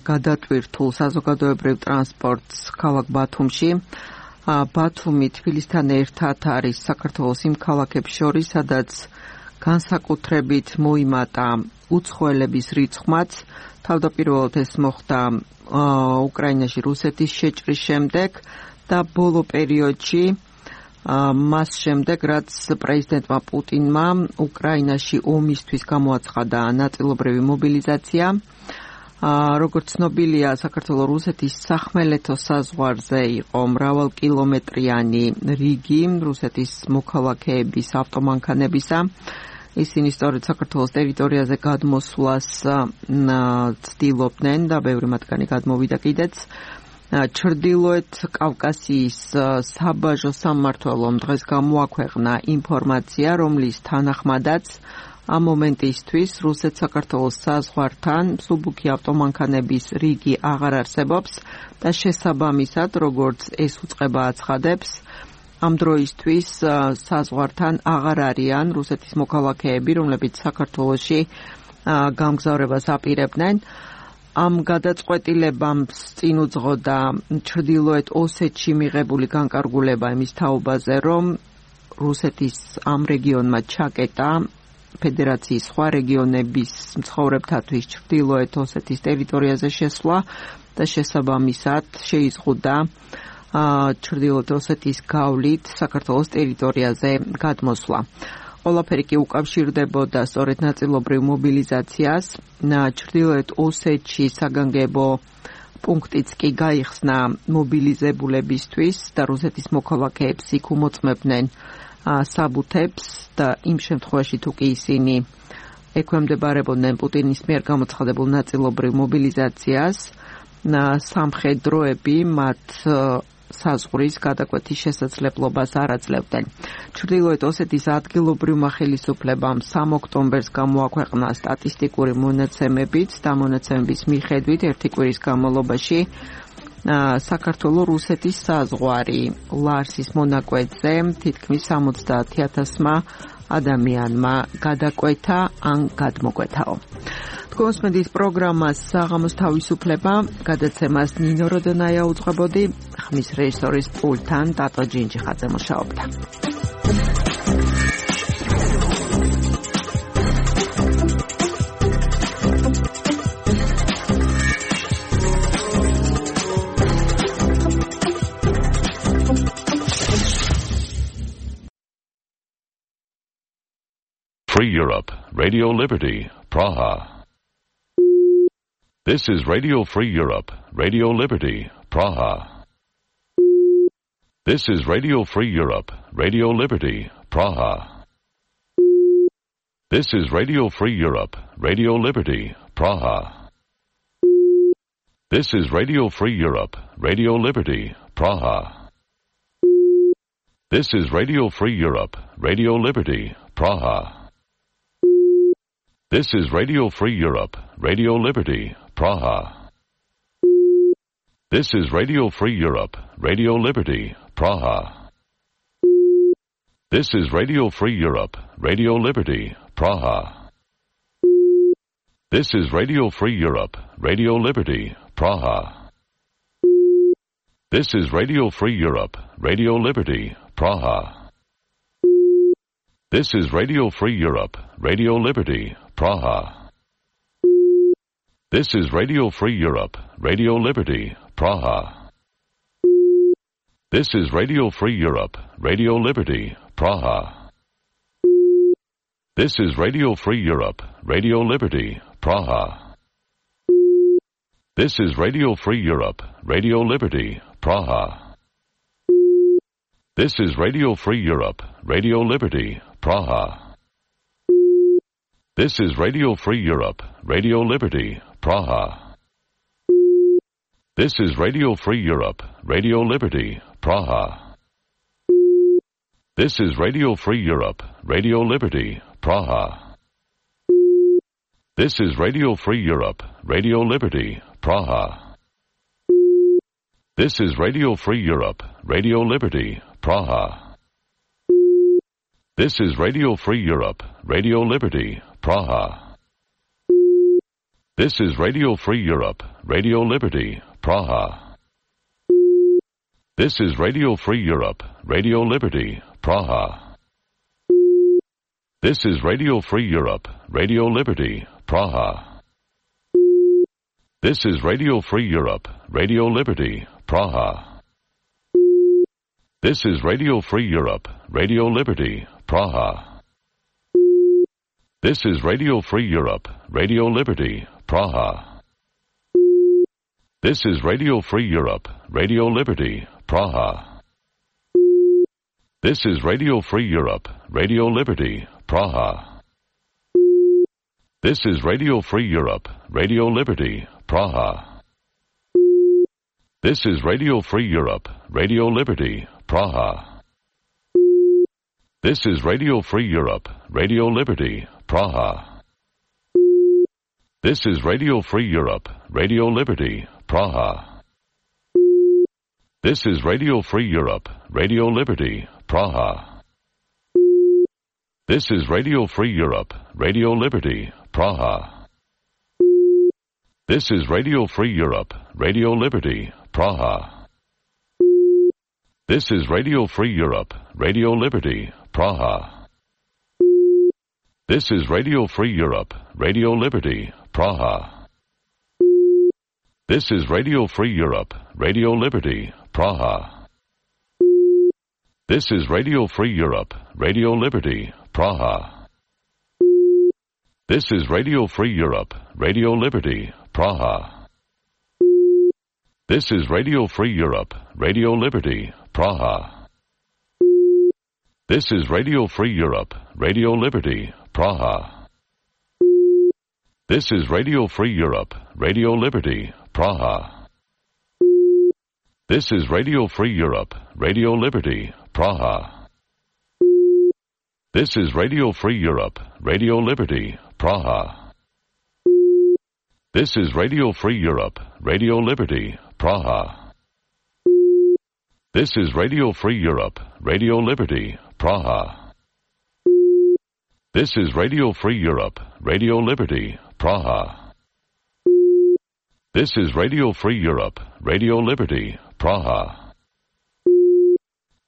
გადატვირთულ საზოგადოებრივ ტრანსპორტს ქალაქ ბათუმში. ბათუმი თბილისთან ერთად არის საქართველოს იმ ქალაქებს შორის, სადაც განსაკუთრებით მოიმატა უცხოელების რიცხვმაც. თავდაპირველად ეს მოხდა უკრაინაში რუსეთის შეჭრის შემდეგ და ბოლო პერიოდში მას შემდეგ, რაც პრეზიდენტმა პუტინმა უკრაინაში ომისთვის გამოაცხადა ნაწილობრივი მობილიზაცია. როგორც ცნობილია, საქართველო-რუსეთის სახმელეთო საზღვარზე იყო მრავალკილომეტრიანი რიგი რუსეთის მოქალაქეების ავტომანქანებისა. ისინი სწორედ საქართველოს ტერიტორიაზე გადმოსვლას ცდილობდნენ და ბევრი მათგანი გადმოვიდა კიდეც. ჩრდილოეთ კავკასიის საბაჟო სამმართველომ დღეს გამოაქვეყნა ინფორმაცია, რომლის თანახმადაც ამ მომენტისთვის რუსეთ-საქართველოს საზღვართან მსუბუქი ავტომანქანების რიგი აღარ არსებობს და შესაბამისად, როგორც ეს უწყება აცხადებს, ამ დროისთვის საზღვართან აღარ არიან რუსეთის მოქალაქეები, რომლებიც საქართველოში გამგზავრებას აპირებდნენ. ამ გადაწყვეტილებამ წინ უძღოდა ჩრდილოეთ ოსეთში მიღებული განკარგულება იმის თაობაზე, რომ რუსეთის ამ რეგიონმა ჩაკეტა ფედერაციის სხვა რეგიონების მცხოვრებთათვის ჩრდილოეთ ოსეთის ტერიტორიაზე შესვლა და შესაბამისად შეიზღუდა ჩრდილოეთ ოსეთის გავლით საქართველოს ტერიტორიაზე გადმოსვლა. ყველაფერი კი უკავშირდებოდა სწორედ ნაწილობრივ მობილიზაციას. ჩრდილოეთ ოსეთში საგანგებო პუნქტიც კი გაიხსნა მობილიზებულებისთვის და რუსეთის მოქალაქეებს იქ უმოწმებდნენ საბუთებს და იმ შემთხვევაში თუ კი ისინი ექვემდებარებოდნენ პუტინის მიერ გამოცხადებულ ნაწილობრივ მობილიზაციას, სამხედროები მათ საზღვრის გადაკვეთის შესაძლებლობას არ აძლევდნენ. ჩრდილოეთ ოსეთის ადგილობრივმა ხელისუფლებამ სამ ოქტომბერს გამოაქვეყნა სტატისტიკური მონაცემებით და მონაცემების მიხედვით ერთი კვირის განმავლობაში საქართველო-რუსეთის საზღვარი ლარსის მონაკვეთზე თითქმის სამოცდაათი ათასმა ადამიანმა გადაკვეთა ან გადმოკვეთაო. თქვენს პროგრამას საღამოს თავისუფლება გადაცემას ნინო როდონაია უძღვებოდი. ხმის რეჟისორის პულტთან ტატო ჯინჯიხაძე მუშაობდა. Free Europe, Radio Liberty, Praha. This is Radio Free Europe, Radio Liberty, Praha. This is Radio Free Europe, Radio Liberty, Praha. This is Radio Free Europe, Radio Liberty, Praha. This is Radio Free Europe, Radio Liberty, Praha. This is Radio Free Europe, Radio Liberty, Praha. This is Radio Free Europe, Radio Liberty, Praha. This is Radio Free Europe, Radio Liberty, Praha. This is Radio Free Europe, Radio Liberty, Praha. This is Radio Free Europe, Radio Liberty, Praha. This is Radio Free Europe, Radio Liberty, Praha. This is Radio Free Europe, Radio Liberty, Praha. This is Radio Free Europe, Radio Liberty, Praha. This is Radio Free Europe, Radio Liberty, Praha. This is Radio Free Europe, Radio Liberty, Praha. This is Radio Free Europe, Radio Liberty, Praha. This is Radio Free Europe, Radio Liberty, Praha. This is Radio Free Europe, Radio Liberty, Praha. This is Radio Free Europe, Radio Liberty, Praha. This is Radio Free Europe, Radio Liberty, Praha. This is Radio Free Europe, Radio Liberty, Praha. This is Radio Free Europe, Radio Liberty, Praha. This is Radio Free Europe, Radio Liberty, Praha. This is Radio Free Europe, Radio Liberty, Praha. This is Radio Free Europe, Radio Liberty, Praha. This is Radio Free Europe, Radio Liberty, Praha. This is Radio Free Europe, Radio Liberty, Praha. This is Radio Free Europe, Radio Liberty, Praha. This is Radio Free Europe, Radio Liberty, Praha. This is Radio Free Europe, Radio Liberty, Praha. This is Radio Free Europe, Radio Liberty, Praha. This is Radio Free Europe, Radio Liberty, Praha. This is Radio Free Europe, Radio Liberty, Praha. This is Radio Free Europe, Radio Liberty, Praha. This is Radio Free Europe, Radio Liberty, Praha. This is Radio Free Europe, Radio Liberty, Praha. This is Radio Free Europe, Radio Liberty, Praha. This is Radio Free Europe, Radio Liberty, Praha. This is Radio Free Europe, Radio Liberty, Praha. This is Radio Free Europe, Radio Liberty, Praha. This is Radio Free Europe, Radio Liberty, Praha. This is Radio Free Europe, Radio Liberty, Praha. This is Radio Free Europe, Radio Liberty, Praha. This is Radio Free Europe, Radio Liberty, Praha. This is Radio Free Europe, Radio Liberty, Praha. This is Radio Free Europe, Radio Liberty, Praha. This is Radio Free Europe, Radio Liberty, Praha. This is Radio Free Europe, Radio Liberty, Praha. This is Radio Free Europe, Radio Liberty, Praha. This is Radio Free Europe, Radio Liberty, Praha. This is Radio Free Europe, Radio Liberty, Praha. This is Radio Free Europe, Radio Liberty, Praha.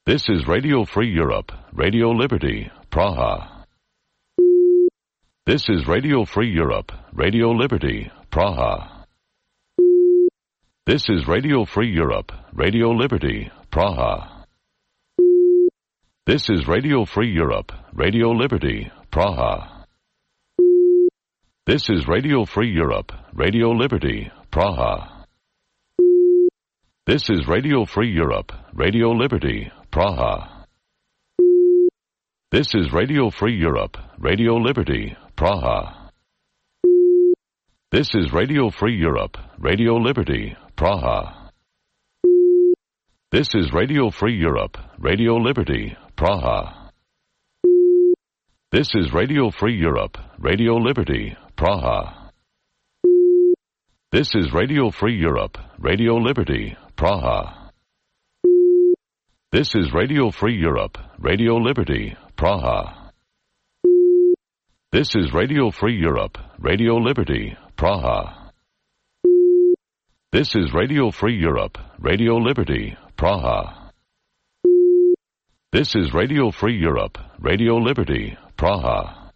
This is Radio Free Europe, Radio Liberty, Praha. This is Radio Free Europe, Radio Liberty, Praha. This is Radio Free Europe, Radio Liberty, Praha. This is Radio Free Europe, Radio Liberty, Praha. This is Radio Free Europe, Radio Liberty, Praha. This is Radio Free Europe, Radio Liberty, Praha. This is Radio Free Europe, Radio Liberty, Praha. This is Radio Free Europe, Radio Liberty, Praha. This is Radio Free Europe, Radio Liberty, Praha. This is Radio Free Europe, Radio Liberty, Praha. This is Radio Free Europe, Radio Liberty, Praha. This is Radio Free Europe, Radio Liberty, Praha. This is Radio Free Europe, Radio Liberty, Praha. This is Radio Free Europe, Radio Liberty, Praha. This is Radio Free Europe, Radio Liberty, Praha.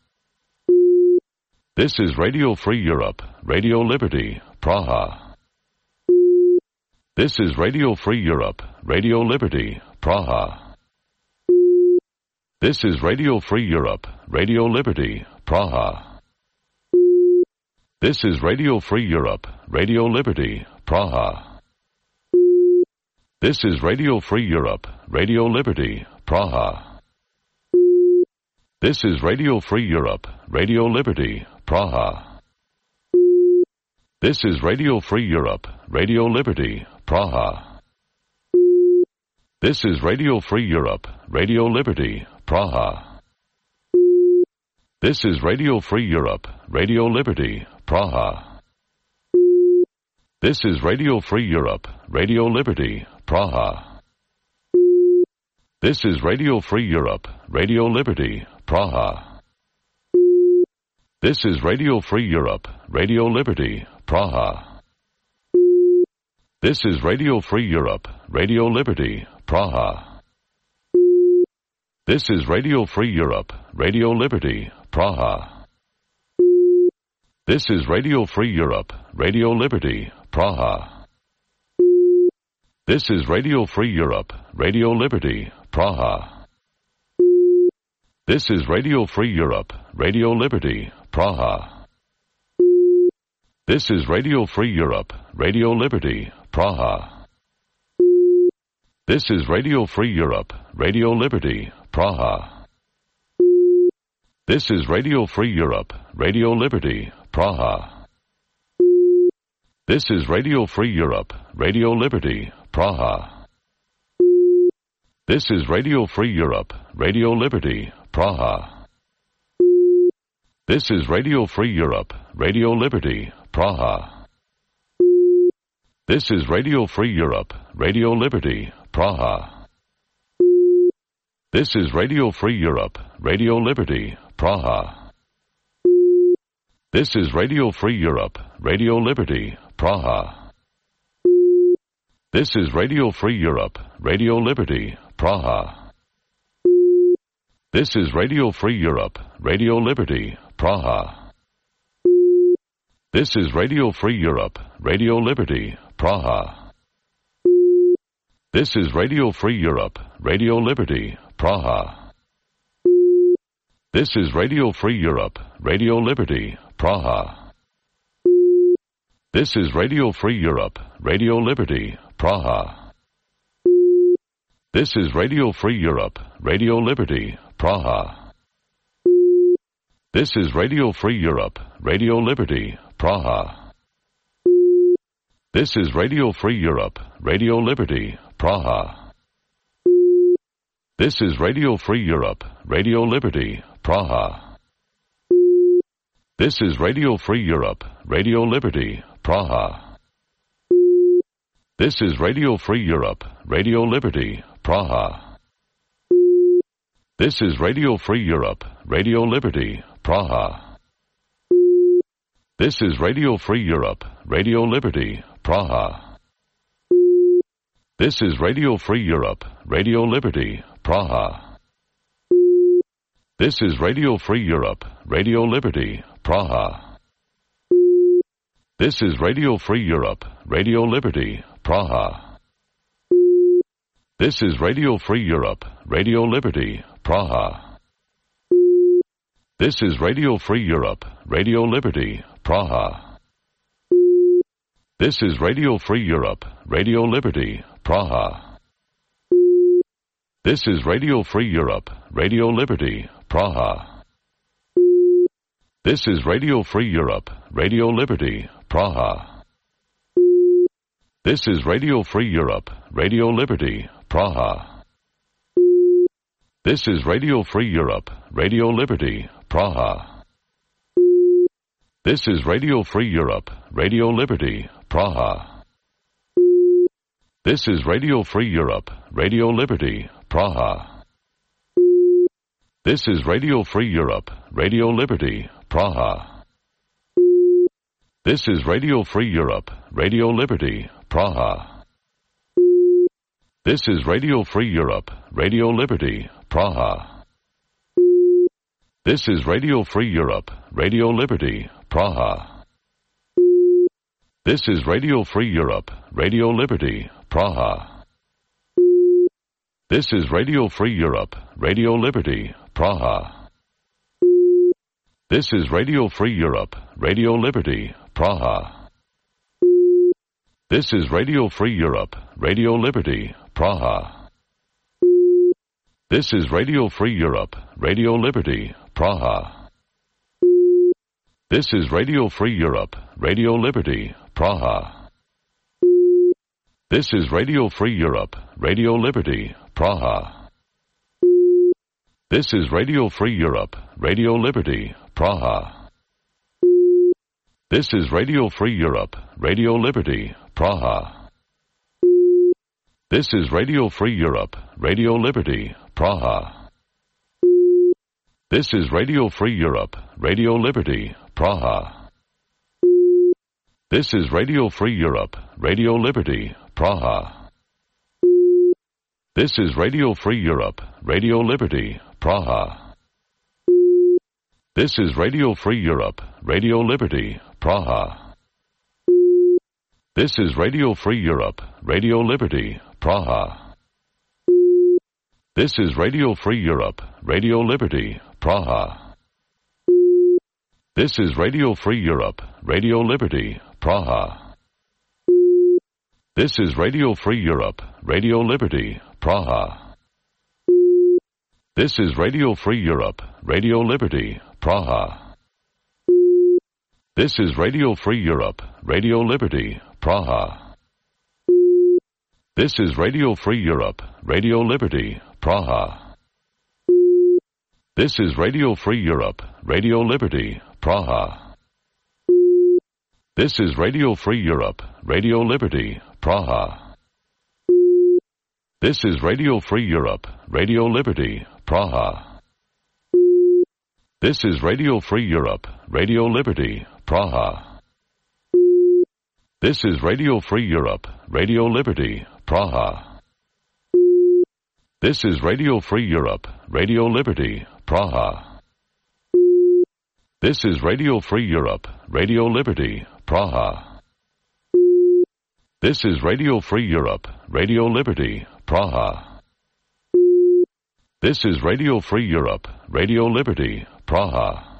This is Radio Free Europe, Radio Liberty, Praha. This is Radio Free Europe, Radio Liberty, Praha. This is Radio Free Europe, Radio Liberty, Praha. This is Radio Free Europe, Radio Liberty, Praha. This is Radio Free Europe, Radio Liberty, Praha. This is Radio Free Europe, Radio Liberty, Praha. This is Radio Free Europe, Radio Liberty, Praha. This is Radio Free Europe, Radio Liberty, Praha. This is Radio Free Europe, Radio Liberty, Praha. This is Radio Free Europe, Radio Liberty, Praha. This is Radio Free Europe, Radio Liberty, Praha. This is Radio Free Europe, Radio Liberty, Praha. This is Radio Free Europe, Radio Liberty, Praha. This is Radio Free Europe, Radio Liberty, Praha. This is Radio Free Europe, Radio Liberty, Praha. This is Radio Free Europe, Radio Liberty, Praha. This is Radio Free Europe, Radio Liberty, Praha. This is Radio Free Europe, Radio Liberty, Praha. This is Radio Free Europe, Radio Liberty, Praha. This is Radio Free Europe, Radio Liberty, Praha. This is Radio Free Europe, Radio Liberty, Praha. This is Radio Free Europe, Radio Liberty, Praha. This is Radio Free Europe, Radio Liberty, Praha. This is Radio Free Europe, Radio Liberty, Praha. This is Radio Free Europe, Radio Liberty, Praha. This is Radio Free Europe, Radio Liberty, Praha. This is Radio Free Europe, Radio Liberty, Praha. This is Radio Free Europe, Radio Liberty, Praha. This is Radio Free Europe, Radio Liberty, Praha. This is Radio Free Europe, Radio Liberty, Praha. This is Radio Free Europe, Radio Liberty, Praha. This is Radio Free Europe, Radio Liberty, Praha. This is Radio Free Europe, Radio Liberty, Praha. This is Radio Free Europe, Radio Liberty, Praha. This is Radio Free Europe, Radio Liberty, Praha. This is Radio Free Europe, Radio Liberty, Praha. This is Radio Free Europe, Radio Liberty, Praha. This is Radio Free Europe, Radio Liberty, Praha. This is Radio Free Europe, Radio Liberty, Praha. This is Radio Free Europe, Radio Liberty, Praha. This is Radio Free Europe, Radio Liberty, Praha. This is Radio Free Europe, Radio Liberty, Praha. This is Radio Free Europe, Radio Liberty, Praha. This is Radio Free Europe, Radio Liberty, Praha. This is Radio Free Europe, Radio Liberty, Praha. This is Radio Free Europe, Radio Liberty, Praha. This is Radio Free Europe, Radio Liberty, Praha. This is Radio Free Europe, Radio Liberty, Praha. This is Radio Free Europe, Radio Liberty, Praha. This is Radio Free Europe, Radio Liberty, Praha. This is Radio Free Europe, Radio Liberty, Praha. This is Radio Free Europe, Radio Liberty, Praha. This is Radio Free Europe, Radio Liberty, Praha. This is Radio Free Europe, Radio Liberty, Praha. This is Radio Free Europe, Radio Liberty, Praha. This is Radio Free Europe, Radio Liberty, Praha. This is Radio Free Europe, Radio Liberty, Praha. This is Radio Free Europe, Radio Liberty, Praha. This is Radio Free Europe, Radio Liberty, Praha. This is Radio Free Europe, Radio Liberty, Praha. This is Radio Free Europe, Radio Liberty, Praha. This is Radio Free Europe, Radio Liberty, Praha. This is Radio Free Europe, Radio Liberty, Praha. This is Radio Free Europe, Radio Liberty, Praha. This is Radio Free Europe, Radio Liberty, Praha. This is Radio Free Europe, Radio Liberty, Praha. This is Radio Free Europe, Radio Liberty, Praha. This is Radio Free Europe, Radio Liberty, Praha. This is Radio Free Europe, Radio Liberty, Praha. This is Radio Free Europe, Radio Liberty, Praha. This is Radio Free Europe, Radio Liberty, Praha. This is Radio Free Europe, Radio Liberty, Praha. This is Radio Free Europe, Radio Liberty, Praha. This is Radio Free Europe, Radio Liberty, Praha. This is Radio Free Europe, Radio Liberty, Praha. This is Radio Free Europe, Radio Liberty, Praha. This is Radio Free Europe, Radio Liberty, Praha. This is Radio Free Europe, Radio Liberty, Praha. This is Radio Free Europe, Radio Liberty, Praha. This is Radio Free Europe, Radio Liberty, Praha. This is Radio Free Europe, Radio Liberty, Praha. This is Radio Free Europe, Radio Liberty, Praha. This is Radio Free Europe, Radio Liberty, Praha. This is Radio Free Europe, Radio Liberty, Praha. This is Radio Free Europe, Radio Liberty, Praha. This is Radio Free Europe, Radio Liberty, Praha.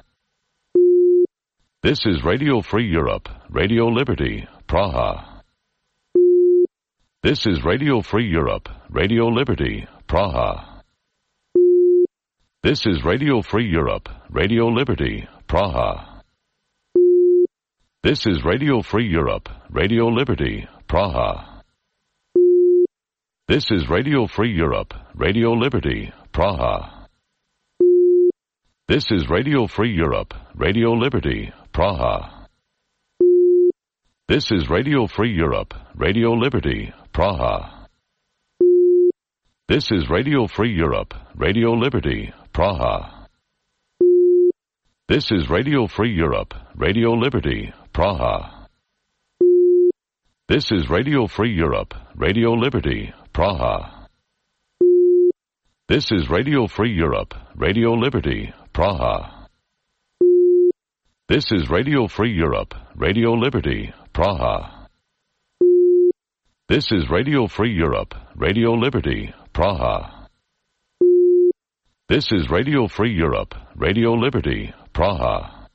This is Radio Free Europe, Radio Liberty, Praha. This is Radio Free Europe, Radio Liberty, Praha. This is Radio Free Europe, Radio Liberty, Praha. This is Radio Free Europe, Radio Liberty, Praha. This is Radio Free Europe, Radio Liberty, Praha. This is Radio Free Europe, Radio Liberty, Praha. This is Radio Free Europe, Radio Liberty, Praha. This is Radio Free Europe, Radio Liberty, Praha. This is Radio Free Europe, Radio Liberty, Praha. This is Radio Free Europe, Radio Liberty, Praha. This is Radio Free Europe, Radio Liberty, Praha. This is Radio Free Europe, Radio Liberty, Praha. This is Radio Free Europe, Radio Liberty, Praha. This is Radio Free Europe, Radio Liberty, Praha.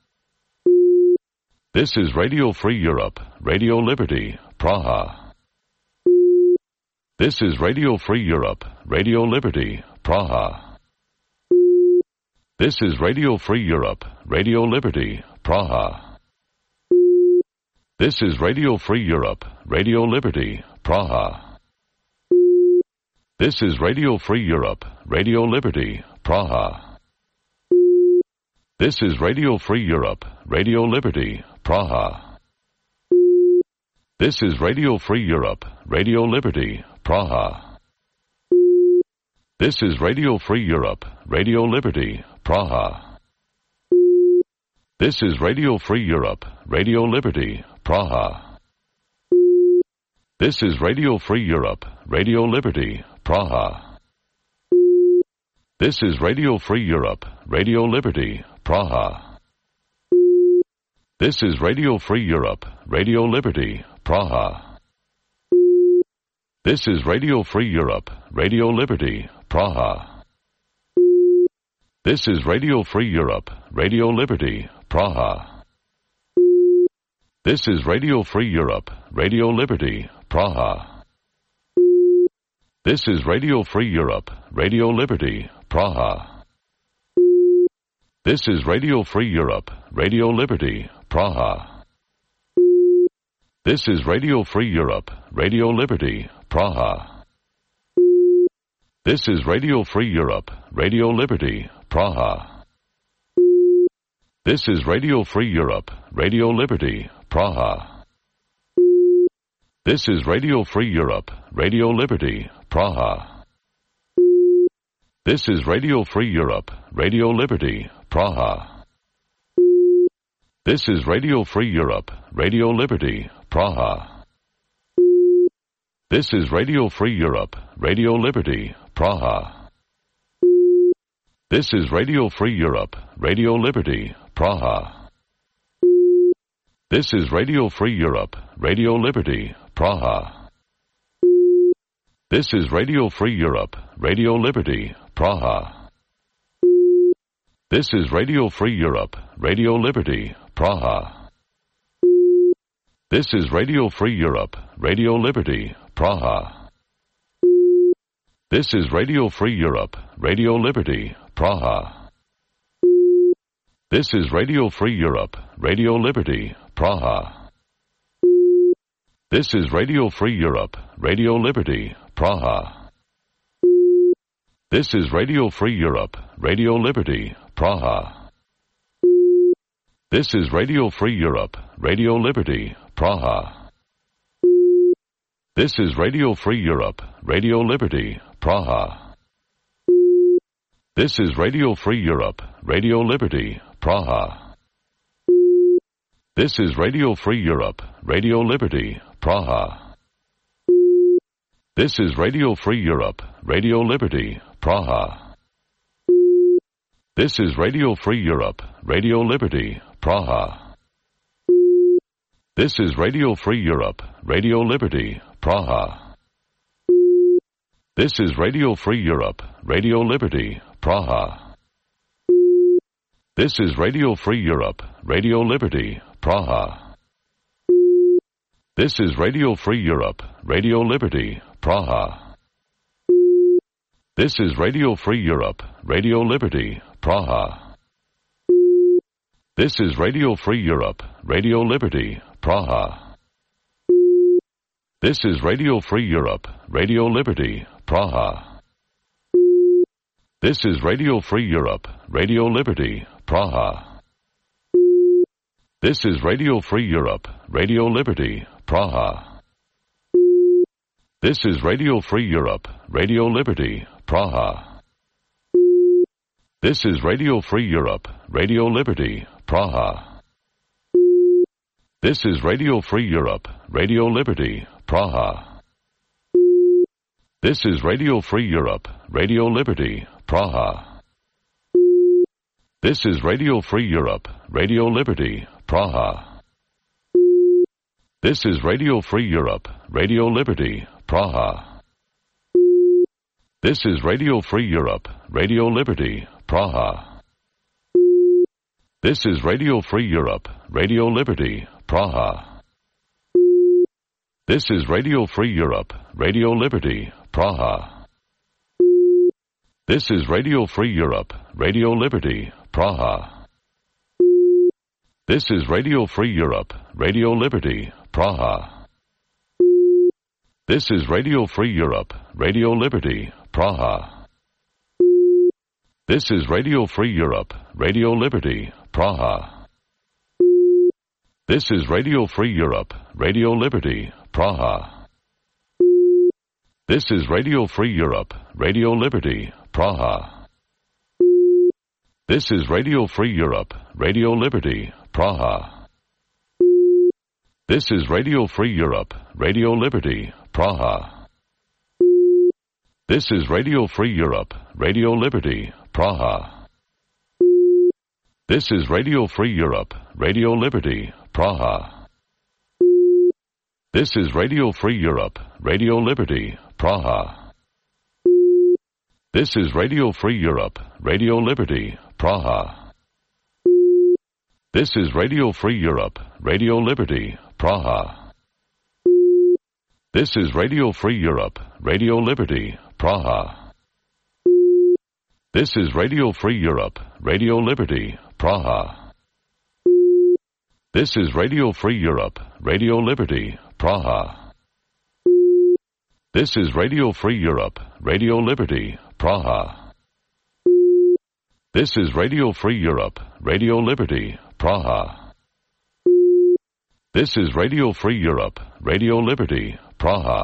This is Radio Free Europe, Radio Liberty, Praha. This is Radio Free Europe, Radio Liberty, Praha. This is Radio Free Europe, Radio Liberty, Praha. This is Radio Free Europe, Radio Liberty, Praha. This is Radio Free Europe, Radio Liberty, Praha. This is Radio Free Europe, Radio Liberty, Praha. This is Radio Free Europe, Radio Liberty, Praha. This is Radio Free Europe, Radio Liberty, Praha. This is Radio Free Europe, Radio Liberty, Praha. This is Radio Free Europe, Radio Liberty, Praha. This is Radio Free Europe, Radio Liberty, Praha. This is Radio Free Europe, Radio Liberty, Praha. This is Radio Free Europe, Radio Liberty, Praha. This is Radio Free Europe, Radio Liberty, Praha. This is Radio Free Europe, Radio Liberty, Praha. This is Radio Free Europe, Radio Liberty, Praha. This is Radio Free Europe, Radio Liberty, Praha. This is Radio Free Europe, Radio Liberty, Praha. This is Radio Free Europe, Radio Liberty, Praha. This is Radio Free Europe, Radio Liberty, Praha. This is Radio Free Europe, Radio Liberty, Praha. This is Radio Free Europe, Radio Liberty, Praha. This is Radio Free Europe, Radio Liberty, Praha. This is Radio Free Europe, Radio Liberty, Praha. This is Radio Free Europe, Radio Liberty, Praha. This is Radio Free Europe, Radio Liberty, Praha. This is Radio Free Europe, Radio Liberty, Praha. This is Radio Free Europe, Radio Liberty, Praha. This is Radio Free Europe, Radio Liberty, Praha. This is Radio Free Europe, Radio Liberty, Praha. This is Radio Free Europe, Radio Liberty, Praha. This is Radio Free Europe, Radio Liberty, Praha. This is Radio Free Europe, Radio Liberty, Praha. This is Radio Free Europe, Radio Liberty, Praha. This is Radio Free Europe, Radio Liberty, Praha. This is Radio Free Europe, Radio Liberty, Praha. This is Radio Free Europe, Radio Liberty, Praha. This is Radio Free Europe, Radio Liberty, Praha. This is Radio Free Europe, Radio Liberty, Praha. This is Radio Free Europe, Radio Liberty, Praha. This is Radio Free Europe, Radio Liberty, Praha. This is Radio Free Europe, Radio Liberty, Praha. This is Radio Free Europe, Radio Liberty, Praha. This is Radio Free Europe, Radio Liberty, Praha. This is Radio Free Europe, Radio Liberty, Praha. This is Radio Free Europe, Radio Liberty, Praha. This is Radio Free Europe, Radio Liberty, Praha. This is Radio Free Europe, Radio Liberty, Praha. This is Radio Free Europe, Radio Liberty, Praha. This is Radio Free Europe, Radio Liberty, Praha. This is Radio Free Europe, Radio Liberty, Praha. This is Radio Free Europe, Radio Liberty, Praha. This is Radio Free Europe, Radio Liberty, Praha. This is Radio Free Europe, Radio Liberty, Praha. This is Radio Free Europe, Radio Liberty, Praha. This is Radio Free Europe, Radio Liberty, Praha. This is Radio Free Europe, Radio Liberty, Praha. This is Radio Free Europe, Radio Liberty, Praha. This is Radio Free Europe, Radio Liberty, Praha. This is Radio Free Europe, Radio Liberty, Praha. This is Radio Free Europe, Radio Liberty, Praha. This is Radio Free Europe, Radio Liberty, Praha. This is Radio Free Europe, Radio Liberty, Praha. This is Radio Free Europe, Radio Liberty, Praha. This is Radio Free Europe, Radio Liberty, Praha. This is Radio Free Europe, Radio Liberty, Praha. This is Radio Free Europe, Radio Liberty, Praha. This is Radio Free Europe, Radio Liberty, Praha. This is Radio Free Europe, Radio Liberty, Praha. This is Radio Free Europe, Radio Liberty, Praha. This is Radio Free Europe, Radio Liberty, Praha. This is Radio Free Europe, Radio Liberty, Praha. This is Radio Free Europe, Radio Liberty, Praha. This is Radio Free Europe, Radio Liberty, Praha. This is Radio Free Europe, Radio Liberty, Praha. This is Radio Free Europe, Radio Liberty, Praha.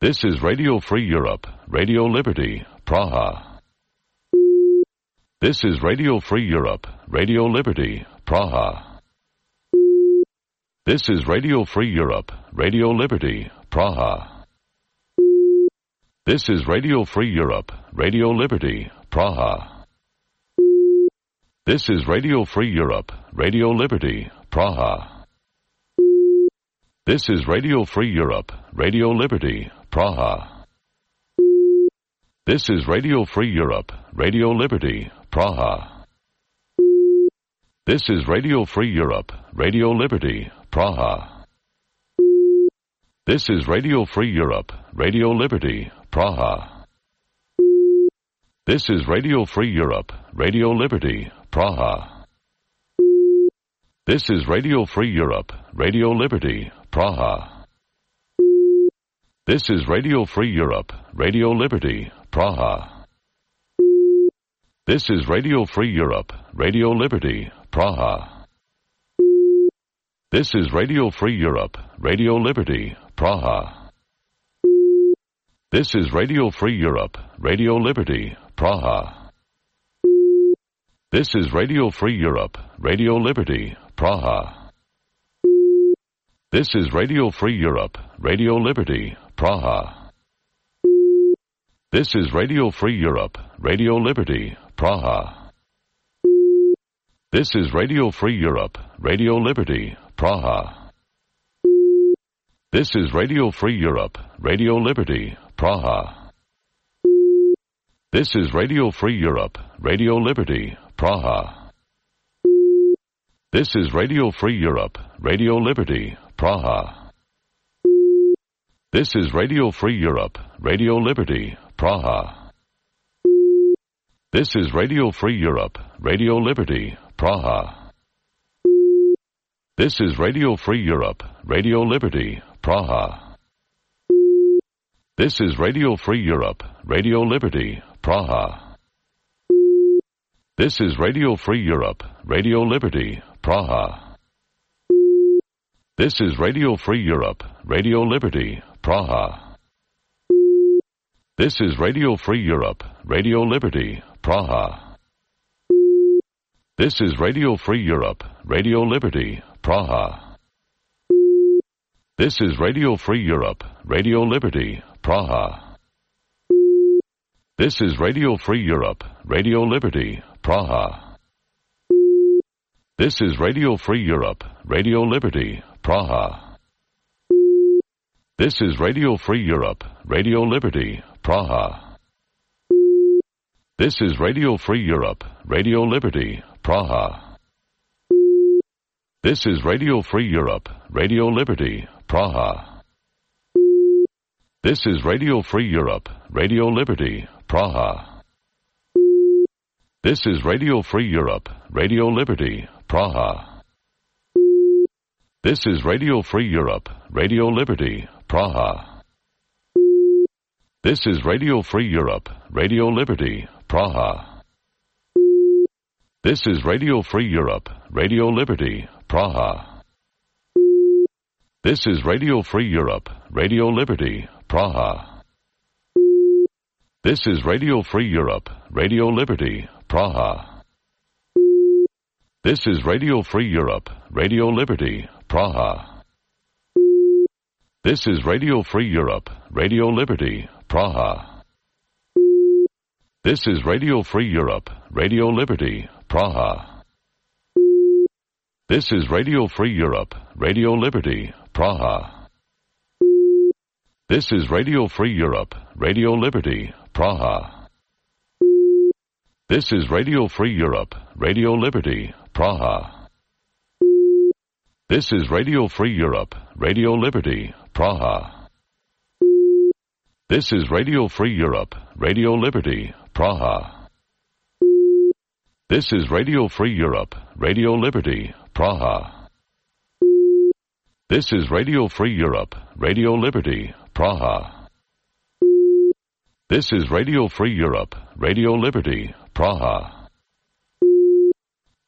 This is Radio Free Europe, Radio Liberty, Praha. This is Radio Free Europe, Radio Liberty, Praha. This is Radio Free Europe, Radio Liberty, Praha. This is Radio Free Europe, Radio Liberty, Praha. This is Radio Free Europe, Radio Liberty, Praha. This is Radio Free Europe, Radio Liberty, Praha. This is Radio Free Europe, Radio Liberty, Praha. This is Radio Free Europe, Radio Liberty, Praha. This is Radio Free Europe, Radio Liberty, Praha. This is Radio Free Europe, Radio Liberty, Praha. This is Radio Free Europe, Radio Liberty, Praha. This is Radio Free Europe, Radio Liberty, Praha. This is Radio Free Europe, Radio Liberty, Praha. This is Radio Free Europe, Radio Liberty, Praha. This is Radio Free Europe, Radio Liberty, Praha. This is Radio Free Europe, Radio Liberty, Praha. This is Radio Free Europe, Radio Liberty, Praha. This is Radio Free Europe, Radio Liberty, Praha. This is Radio Free Europe, Radio Liberty, Praha. This is Radio Free Europe, Radio Liberty, Praha. This is Radio Free Europe, Radio Liberty, Praha. This is Radio Free Europe, Radio Liberty, Praha. This is Radio Free Europe, Radio Liberty, Praha. This is Radio Free Europe, Radio Liberty, Praha. This is Radio Free Europe, Radio Liberty, Praha. This is Radio Free Europe, Radio Liberty, Praha. This is Radio Free Europe, Radio Liberty, Praha. This is Radio Free Europe, Radio Liberty, Praha. This is Radio Free Europe, Radio Liberty, Praha. This is Radio Free Europe, Radio Liberty, Praha. This is Radio Free Europe, Radio Liberty, Praha. This is Radio Free Europe, Radio Liberty, Praha. This is Radio Free Europe, Radio Liberty, Praha. This is Radio Free Europe, Radio Liberty, Praha. This is Radio Free Europe, Radio Liberty, Praha. This is Radio Free Europe, Radio Liberty, Praha. This is Radio Free Europe, Radio Liberty, Praha. This is Radio Free Europe, Radio Liberty, Praha. This is Radio Free Europe, Radio Liberty, Praha. This is Radio Free Europe, Radio Liberty, Praha. This is Radio Free Europe, Radio Liberty, Praha. This is Radio Free Europe, Radio Liberty, Praha. This is Radio Free Europe, Radio Liberty, Praha. This is Radio Free Europe, Radio Liberty, Praha. This is Radio Free Europe, Radio Liberty, Praha. This is Radio Free Europe, Radio Liberty, Praha. This is Radio Free Europe, Radio Liberty, Praha. This is Radio Free Europe, Radio Liberty, Praha. This is Radio Free Europe, Radio Liberty, Praha. This is Radio Free Europe, Radio Liberty, Praha. This is Radio Free Europe, Radio Liberty, Praha. This is Radio Free Europe, Radio Liberty, Praha. This is Radio Free Europe, Radio Liberty, Praha. This is Radio Free Europe, Radio Liberty, Praha.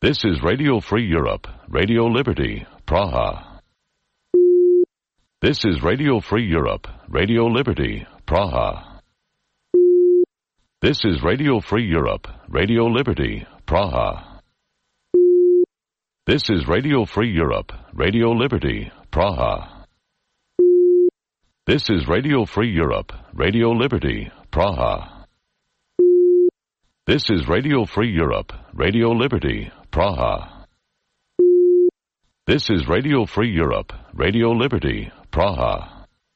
This is Radio Free Europe, Radio Liberty, Praha. This is Radio Free Europe, Radio Liberty, Praha. This is Radio Free Europe, Radio Liberty, Praha. This is Radio Free Europe, Radio Liberty, Praha. This is Radio Free Europe, Radio Liberty, Praha. This is Radio Free Europe, Radio Liberty, Praha. This is Radio Free Europe, Radio Liberty, Praha.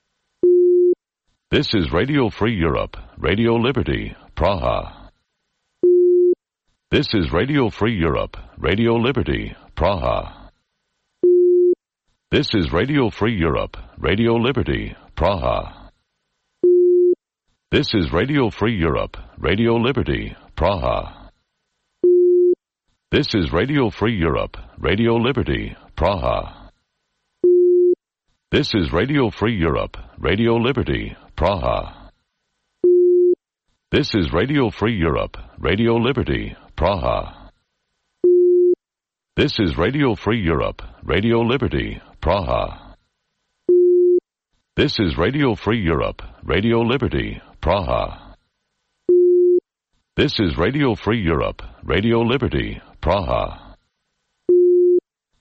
This is Radio Free Europe, Radio Liberty, Praha. This is Radio Free Europe, Radio Liberty, Praha. This is Radio Free Europe, Radio Liberty, Praha. This is Radio Free Europe, Radio Liberty, Praha. This is Radio Free Europe, Radio Liberty, Praha. This is Radio Free Europe, Radio Liberty, Praha. This is Radio Free Europe, Radio Liberty, Praha. This is Radio Free Europe, Radio Liberty, Praha. This is Radio Free Europe, Radio Liberty, Praha. This is Radio Free Europe, Radio Liberty, Praha.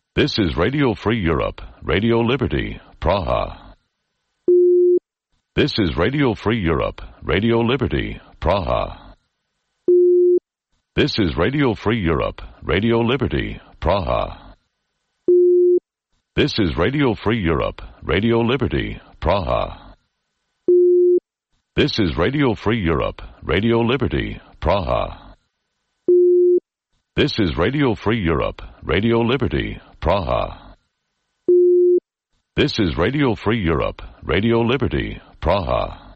This is Radio Free Europe, Radio Liberty, Praha. This is Radio Free Europe, Radio Liberty, Praha. This is Radio Free Europe, Radio Liberty, Praha. This is Radio Free Europe, Radio Liberty, Praha. This is Radio Free Europe, Radio Liberty, Praha. This is Radio Free Europe, Radio Liberty, Praha. This is Radio Free Europe, Radio Liberty, Praha.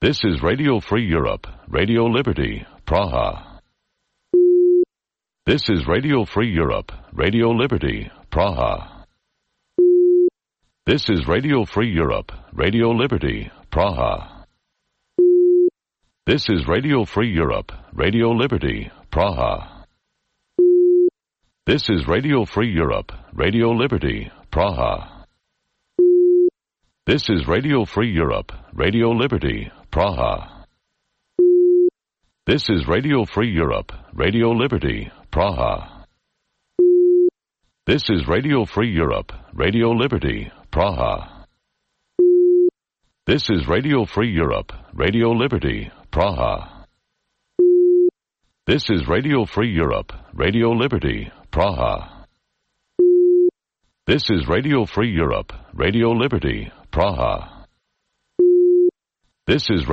This is Radio Free Europe, Radio Liberty, Praha. This is Radio Free Europe, Radio Liberty, Praha. This is Radio Free Europe, Radio Liberty, Praha. This is Radio Free Europe, Radio Liberty, Praha. This is Radio Free Europe, Radio Liberty, Praha. This is Radio Free Europe, Radio Liberty, Praha. This is Radio Free Europe, Radio Liberty, Praha. This is Radio Free Europe, Radio Liberty, Praha. This is Radio Free Europe, Radio Liberty, Praha. This is Radio Free Europe, Radio Liberty, Praha. This is Radio Free Europe, Radio Liberty, Praha. This is